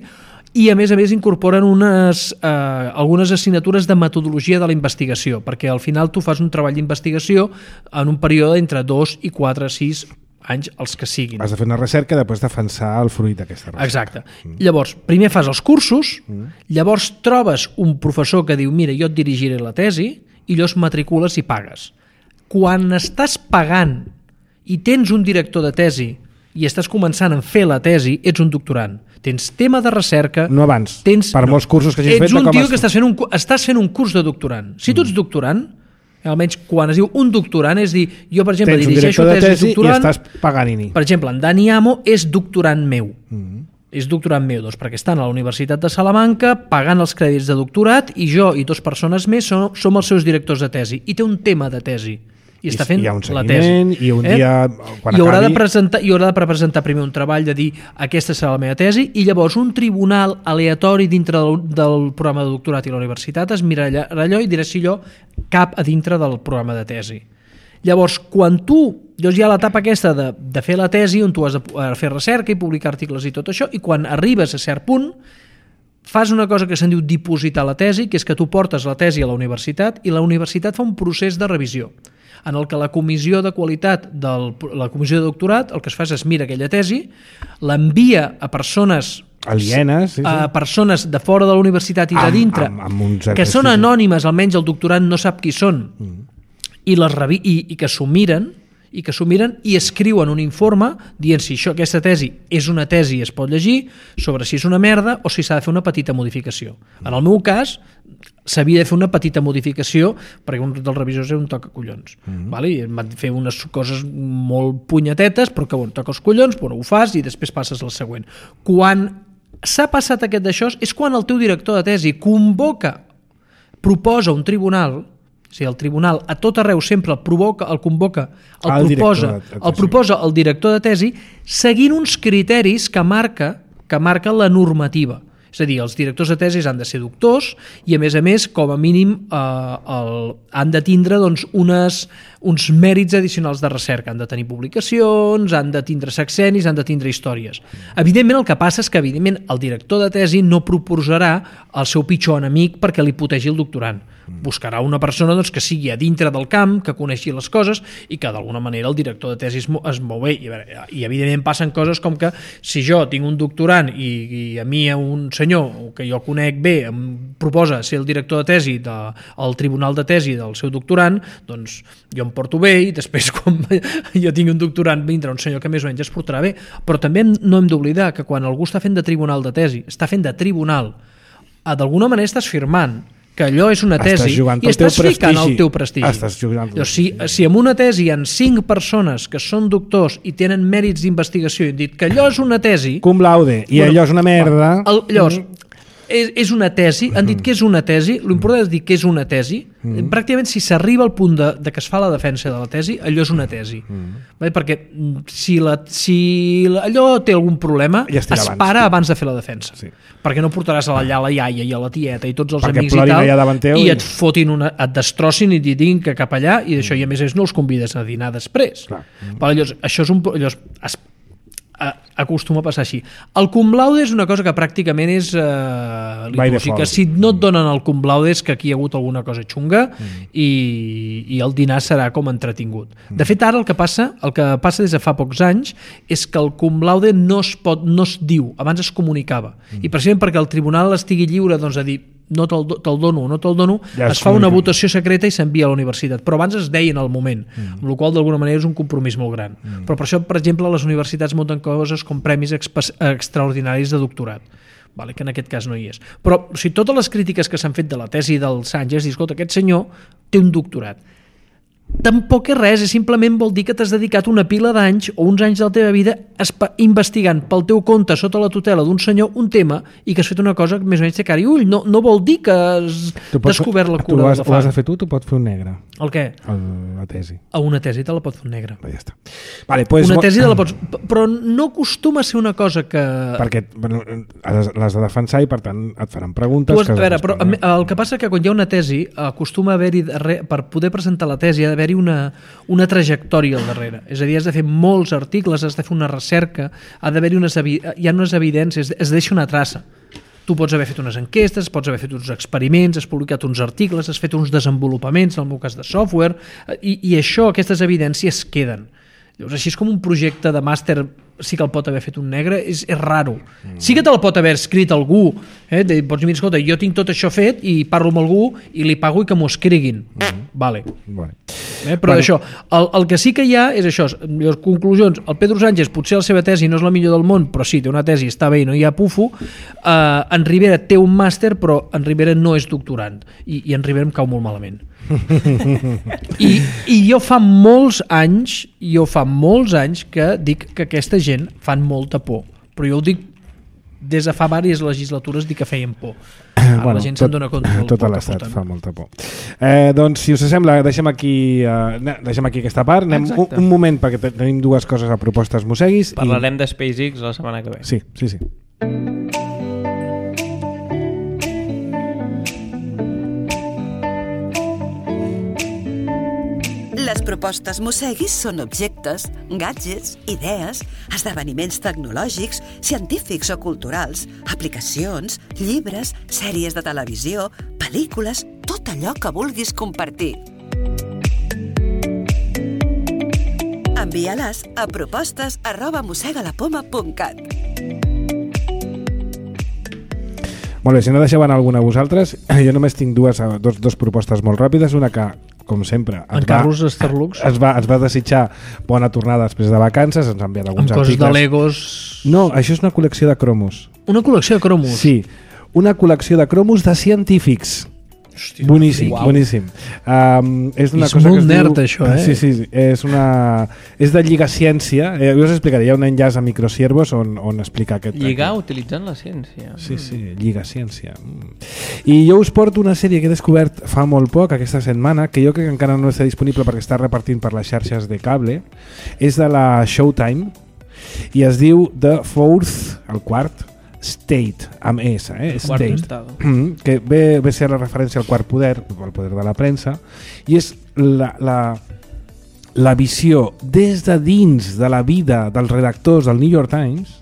i a més incorporen algunes assignatures de metodologia de la investigació, perquè al final tu fas un treball d'investigació en un període entre 2 i 4, 6 anys, els que siguin. Has de fer una recerca i després defensar el fruit d'aquesta recerca. Exacte. Llavors, primer fas els cursos, llavors trobes un professor que diu mira, jo et dirigiré la tesi, i llavors matricules i pagues. Quan estàs pagant i tens un director de tesi i estàs començant a fer la tesi, ets un doctorant. Tens tema de recerca... No abans, per molts cursos que hagis fet... Ets un tio que estàs fent un curs de doctorant. Si tu ets doctorant, almenys quan es diu un doctorant, és dir, jo per exemple dirigeixo tesis doctorant... I estàs pagant-hi. Per exemple, en Dani Amo és doctorant meu. És doctorant meu, doncs, perquè estan a la Universitat de Salamanca pagant els crèdits de doctorat i jo i 2 persones més som els seus directors de tesi. I té un tema de tesi. I està fent la tesi. I un dia, quan acabi... haurà de presentar primer un treball de dir aquesta serà la meva tesi i llavors un tribunal aleatori dintre del programa de doctorat i la universitat es mirarà allò i dirà si allò cap a dintre del programa de tesi. Llavors, quan llavors hi ha l'etapa aquesta de fer la tesi on tu has de fer recerca i publicar articles i tot això, i quan arribes a cert punt fas una cosa que se'n diu dipositar la tesi, que és que tu portes la tesi a la universitat i la universitat fa un procés de revisió en el que la comissió de qualitat la comissió de doctorat el que es fa és mira aquella tesi, l'envia a persones alienes, a persones de fora de la universitat i de dintre que són anònimes, almenys el doctorat no sap qui són i que s'ho miren i escriuen un informe dient si aquesta tesi és una tesi i es pot llegir, sobre si és una merda o si s'ha de fer una petita modificació. En el meu cas s'havia de fer una petita modificació perquè un dels revisors era un tocacollons. I em van fer unes coses molt punyetetes, però que toca els collons, ho fas i després passes al següent. Quan s'ha passat aquest d'això és quan el teu director de tesi proposa un tribunal. O sigui, el tribunal a tot arreu sempre el proposa el director de tesi seguint uns criteris que marca la normativa. És a dir, els directors de tesis han de ser doctors i, a més, com a mínim han de tindre uns mèrits addicionals de recerca. Han de tenir publicacions, han de tindre sexennis, han de tindre històries. Evidentment, el que passa és que el director de tesi no proposarà el seu pitjor enemic perquè li putegi el doctorant. Buscarà una persona que sigui a dintre del camp, que coneixi les coses i que d'alguna manera el director de tesi es mou bé. I evidentment passen coses com que si jo tinc un doctorant i a mi un senyor que jo conec bé em proposa ser el director de tesi del tribunal de tesi del seu doctorant, doncs jo em porto bé i després quan jo tingui un doctorant vindrà un senyor que més o menys es portarà bé. Però també no hem d'oblidar que quan algú està fent de tribunal de tesi, està fent de tribunal, d'alguna manera estàs firmant que allò és una tesi i estàs ficant el teu prestigi. Si en una tesi hi ha 5 persones que són doctors i tenen mèrits d'investigació i han dit que allò és una tesi... Cum laude, i allò és una merda... Llavors, és una tesi, han dit que és una tesi, l'important és dir que és una tesi, pràcticament si s'arriba al punt de que es fa la defensa de la tesi, allò és una tesi. Perquè si allò té algun problema, es para abans de fer la defensa. Perquè no portaràs allà la iaia i a la tieta i tots els amics i tal, i et fotin et destrossin i et diguin que cap allà, i d'això, i a més no els convides a dinar després. Llavors, això és acostuma a passar així. El cum laude és una cosa que pràcticament és litúrgica. Si no et donen el cum laude és que aquí hi ha hagut alguna cosa xunga i el dinar serà com entretingut. De fet, ara el que passa des de fa pocs anys és que el cum laude no es diu, abans es comunicava. I precisament perquè el tribunal estigui lliure a dir no te'l dono o no te'l dono, es fa una votació secreta i s'envia a la universitat. Però abans es deia en el moment, amb la qual d'alguna manera és un compromís molt gran. Però per això, per exemple, les universitats munten coses com premis extraordinaris de doctorat, que en aquest cas no hi és. Però totes les crítiques que s'han fet de la tesi del Sánchez, escolta, aquest senyor té un doctorat. Tampoc és res, simplement vol dir que t'has dedicat una pila d'anys o uns anys de la teva vida investigant pel teu compte sota la tutela d'un senyor un tema i que has fet una cosa que més o menys té cara i ull. No vol dir que has descobert la cura de la fang. Ho has de fer tu pots fer un negre. El què? La tesi. A una tesi te la pot fer un negre. Ja està. Una tesi te la pots... Però no acostuma a ser una cosa que... Perquè l'has de defensar i per tant et faran preguntes... Però el que passa que quan hi ha una tesi acostuma a haver-hi, per poder presentar la tesi, ha d'haver-hi una trajectòria al darrere. És a dir, has de fer molts articles, has de fer una recerca, hi ha unes evidències, es deixa una traça. tu pots haver fet unes enquestes, pots haver fet uns experiments, has publicat uns articles, has fet uns desenvolupaments, en el meu cas de software, i això, aquestes evidències queden. Llavors, així és com un projecte de màster sí que el pot haver fet un negre, és raro. Sí que te el pot haver escrit algú, pots dir, escolta, jo tinc tot això fet i parlo amb algú i li pago i que m'ho escriguin. Vale. Però això, el que sí que hi ha és això, les conclusions. El Pedro Sánchez, potser la seva tesi no és la millor del món, però sí, té una tesi, està bé i no hi ha pufo. En Rivera té un màster, però en Rivera no és doctorant, i en Rivera em cau molt malament. I jo fa molts anys que dic que aquesta gent fan molta por, però jo ho dic des de fa diverses legislatures, dic que feien por. La gent se'n dona compte del tot l'estat fa molta por. Doncs si us sembla, deixem aquí aquesta part, anem un moment perquè tenim dues coses a propostes mosseguis. Parlarem de SpaceX la setmana que ve. Sí. Les propostes mosseguis són objectes, gadgets, idees, esdeveniments tecnològics, científics o culturals, aplicacions, llibres, sèries de televisió, pel·lícules, tot allò que vulguis compartir. Envia-les a propostes@mossegalapoma.cat. Molt bé, si no deixeu anar alguna a vosaltres, jo només tinc dos propostes molt ràpides. Una que, com sempre, ens va desitjar bona tornada després de vacances, ens ha enviat alguns articles. Amb coses de Legos... No, això és una col·lecció de cromos. Una col·lecció de cromos? Sí, una col·lecció de cromos de científics. Hòstia, boníssim. És una cosa molt nerd, això, Sí, és de Lligaciència. Jo us explicaré, hi ha un enllaç a Microsiervos on explica aquest... Lligar utilitzant la ciència. Sí, Lligaciència. I jo us porto una sèrie que he descobert fa molt poc, aquesta setmana, que jo crec que encara no està disponible perquè està repartint per les xarxes de cable. És de la Showtime i es diu The Fourth, el quart, State, amb S, State, que ve a ser la referència al quart poder, el poder de la premsa, i és la visió des de dins de la vida dels redactors del New York Times,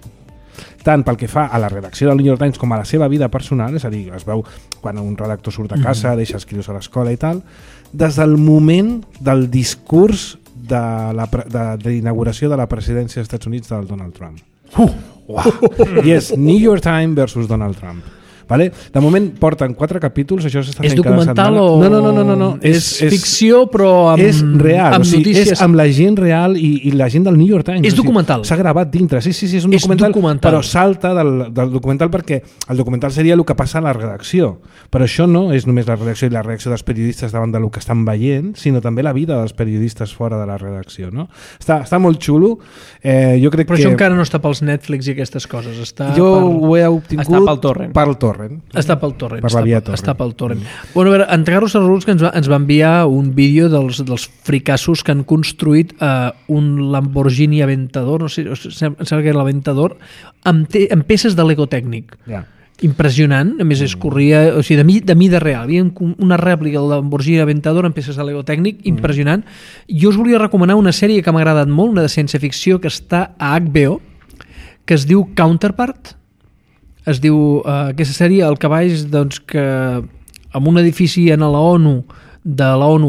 tant pel que fa a la redacció del New York Times com a la seva vida personal, és a dir, es veu quan un redactor surt a casa, deixa escriure a l'escola i tal, des del moment del discurs d'inauguració de la presidència dels Estats Units del Donald Trump. I és New York Times versus Donald Trump. Vale? De moment porten 4 capítols, això s'està fent cada setmana. És documental o...? No. És ficció, però amb, és real, amb notícies. És amb la gent real i la gent del New York Times. És documental. S'ha gravat dintre, sí, és un documental, però salta del documental perquè el documental seria el que passa a la redacció. Però això no és només la redacció i la reacció dels periodistes davant del que estan veient, sinó també la vida dels periodistes fora de la redacció. No? Està molt xulo. Jo crec però això encara no està pels Netflix i aquestes coses. Ho he obtingut pel torrent. Està pel torrent. Per la via torrent. Està pel torrent. Bueno, a veure, en Carlos Arruls que ens va enviar un vídeo dels fricassos que han construït un Lamborghini Aventador, no sé, em sembla que era l'Aventador, amb peces de Lego tècnic. Impressionant, a més es corria, o sigui, de mida real. Hi havia una rèplica del Lamborghini Aventador amb peces de Lego tècnic, impressionant. Jo us volia recomanar una sèrie que m'ha agradat molt, una de ciència-ficció que està a HBO, que es diu Counterpart. Es diu, aquesta sèrie, el cavall, doncs, que en un edifici de la ONU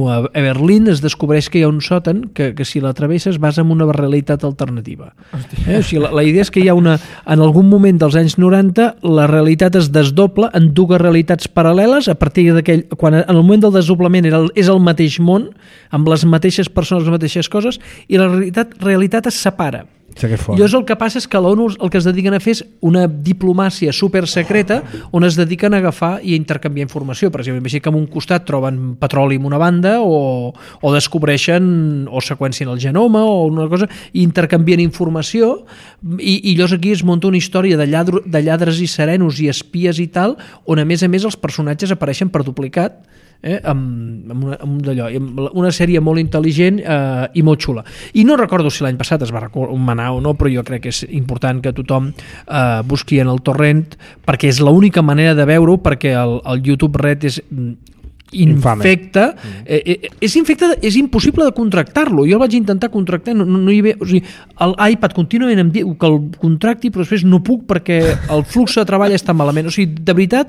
a Berlín es descobreix que hi ha un sòtan que si la travesses vas en una realitat alternativa. O sigui, la idea és que hi ha en algun moment dels anys 90 la realitat es desdobla en dues realitats paral·leles a partir d'aquell, quan en el moment del desdoblament és el mateix món, amb les mateixes persones, les mateixes coses, i la realitat es separa. Llavors el que passa és que a l'ONU el que es dediquen a fer és una diplomàcia supersecreta on es dediquen a agafar i a intercanviar informació. Per exemple, així que en un costat troben petroli en una banda o descobreixen o seqüencien el genoma o una cosa i intercanvien informació i llavors aquí es munta una història de lladres i serenos i espies i tal, on a més els personatges apareixen per duplicat amb una sèrie molt intel·ligent i molt xula. I no recordo si l'any passat es va recomanar o no, però jo crec que és important que tothom busqui en el torrent perquè és l'única manera de veure-ho, perquè el YouTube Red és infecte. És infecte, és impossible de contractar-lo. Jo el vaig intentar contractar, no hi havia... O sigui, l'iPad contínuament em diu que el contracti, però després no puc perquè el flux de treball està malament. O sigui, de veritat,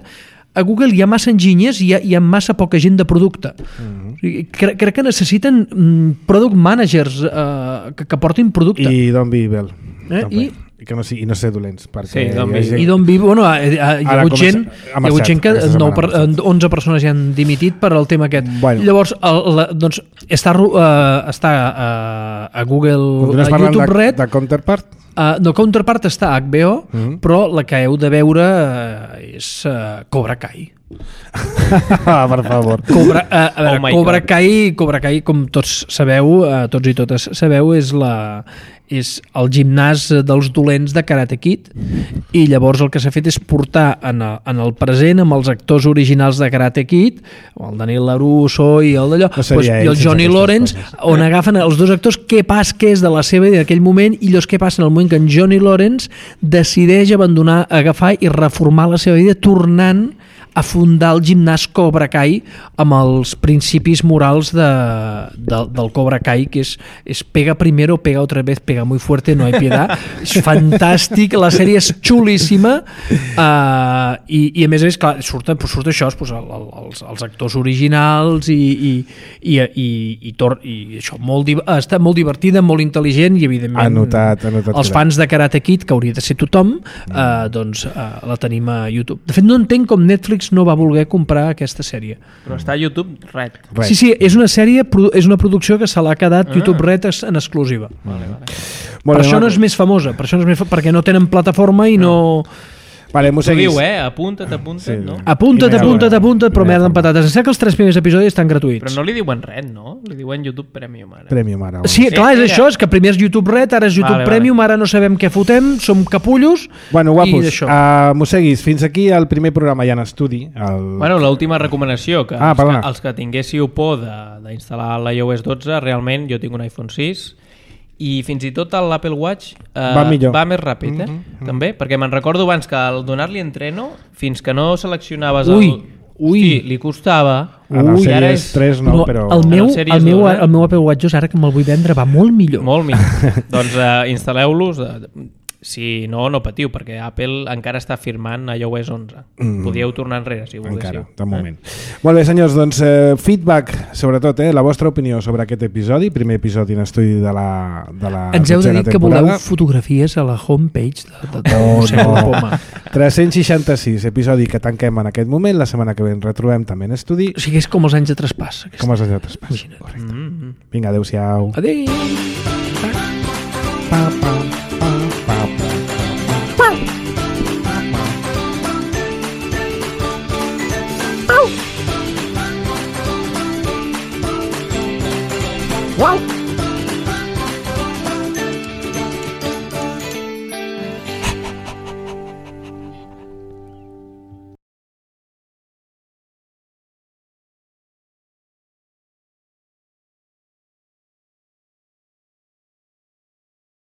a Google hi ha massa enginyers i hi ha massa poca gent de producte. O sigui, crec que necessiten product managers que portin producte. I Don't Be Evil. I que no ser dolents. Sí, i Don't Be Evil, bueno, hi ha hagut gent que 11 persones ja han dimitit per al tema aquest. Bueno. Llavors, doncs, està a Google, a YouTube Red. De Counterpart? No, Counterpart està a HBO, però la que heu de veure és Cobra Kai. Per favor. Cobra Kai, com tots sabeu, tots i totes sabeu, és el gimnàs dels dolents de Karate Kid, i llavors el que s'ha fet és portar en el present amb els actors originals de Karate Kid, el Daniel LaRusso i el d'allò, i el Johnny Lawrence, on agafen els dos actors què és de la seva vida en aquell moment, i llavors què passa en el moment que en Johnny Lawrence decideix agafar i reformar la seva vida tornant a fundar el gimnàs Cobra Kai amb els principis morals del Cobra Kai, que és pega primero, pega otra vez, pega muy fuerte, no hay piedad. És fantàstic, la sèrie és xulíssima, i a més, clar, surt això, els actors originals i això, està molt divertida, molt intel·ligent, i evidentment els fans de Karate Kid, que hauria de ser tothom, doncs la tenim a YouTube. De fet, no entenc com Netflix no va voler comprar aquesta sèrie. Però està a YouTube Red. Sí, és una sèrie, és una producció que se l'ha quedat YouTube Red en exclusiva. Per això no és més famosa, perquè no tenen plataforma i no... Vale, m'ho seguis. Diu, apunta't, sí. no? Apunta't, però merda amb patates. Em sembla que els 3 primers episodis estan gratuïts. Però no li diuen Red, no? Li diuen YouTube Premium ara. Premium ara. Sí, clar, és això, és que primer és YouTube Red, ara és YouTube Premium, ara no sabem què fotem, som capullos. Bueno, guapos, m'ho seguis. Fins aquí el primer programa ja en estudi. Bueno, l'última recomanació, que els que tinguéssiu por d'instal·lar l'iOS 12, realment jo tinc un iPhone 6, i fins i tot l'Apple Watch va més ràpid, també, perquè me'n recordo abans que al donar-li entreno, fins que no seleccionaves li costava. Ara és 3, no, però... El meu Apple Watch, ara que me'l vull vendre, va molt millor. Molt millor. Doncs instal·leu-los. Si no patiu, perquè Apple encara està firmant iOS 11. Podíeu tornar enrere, si volguéssiu. Encara, de moment. Molt bé, senyors, doncs feedback, sobretot, la vostra opinió sobre aquest episodi, primer episodi en estudi de la ens heu de dir que voleu fotografies a la homepage de Poma. 366, episodi que tanquem en aquest moment, la setmana que ve ens retrobem també en estudi. O sigui, és com els anys de traspàs. Com els anys de traspàs, correcte. Vinga, adeu-siau. Adéu.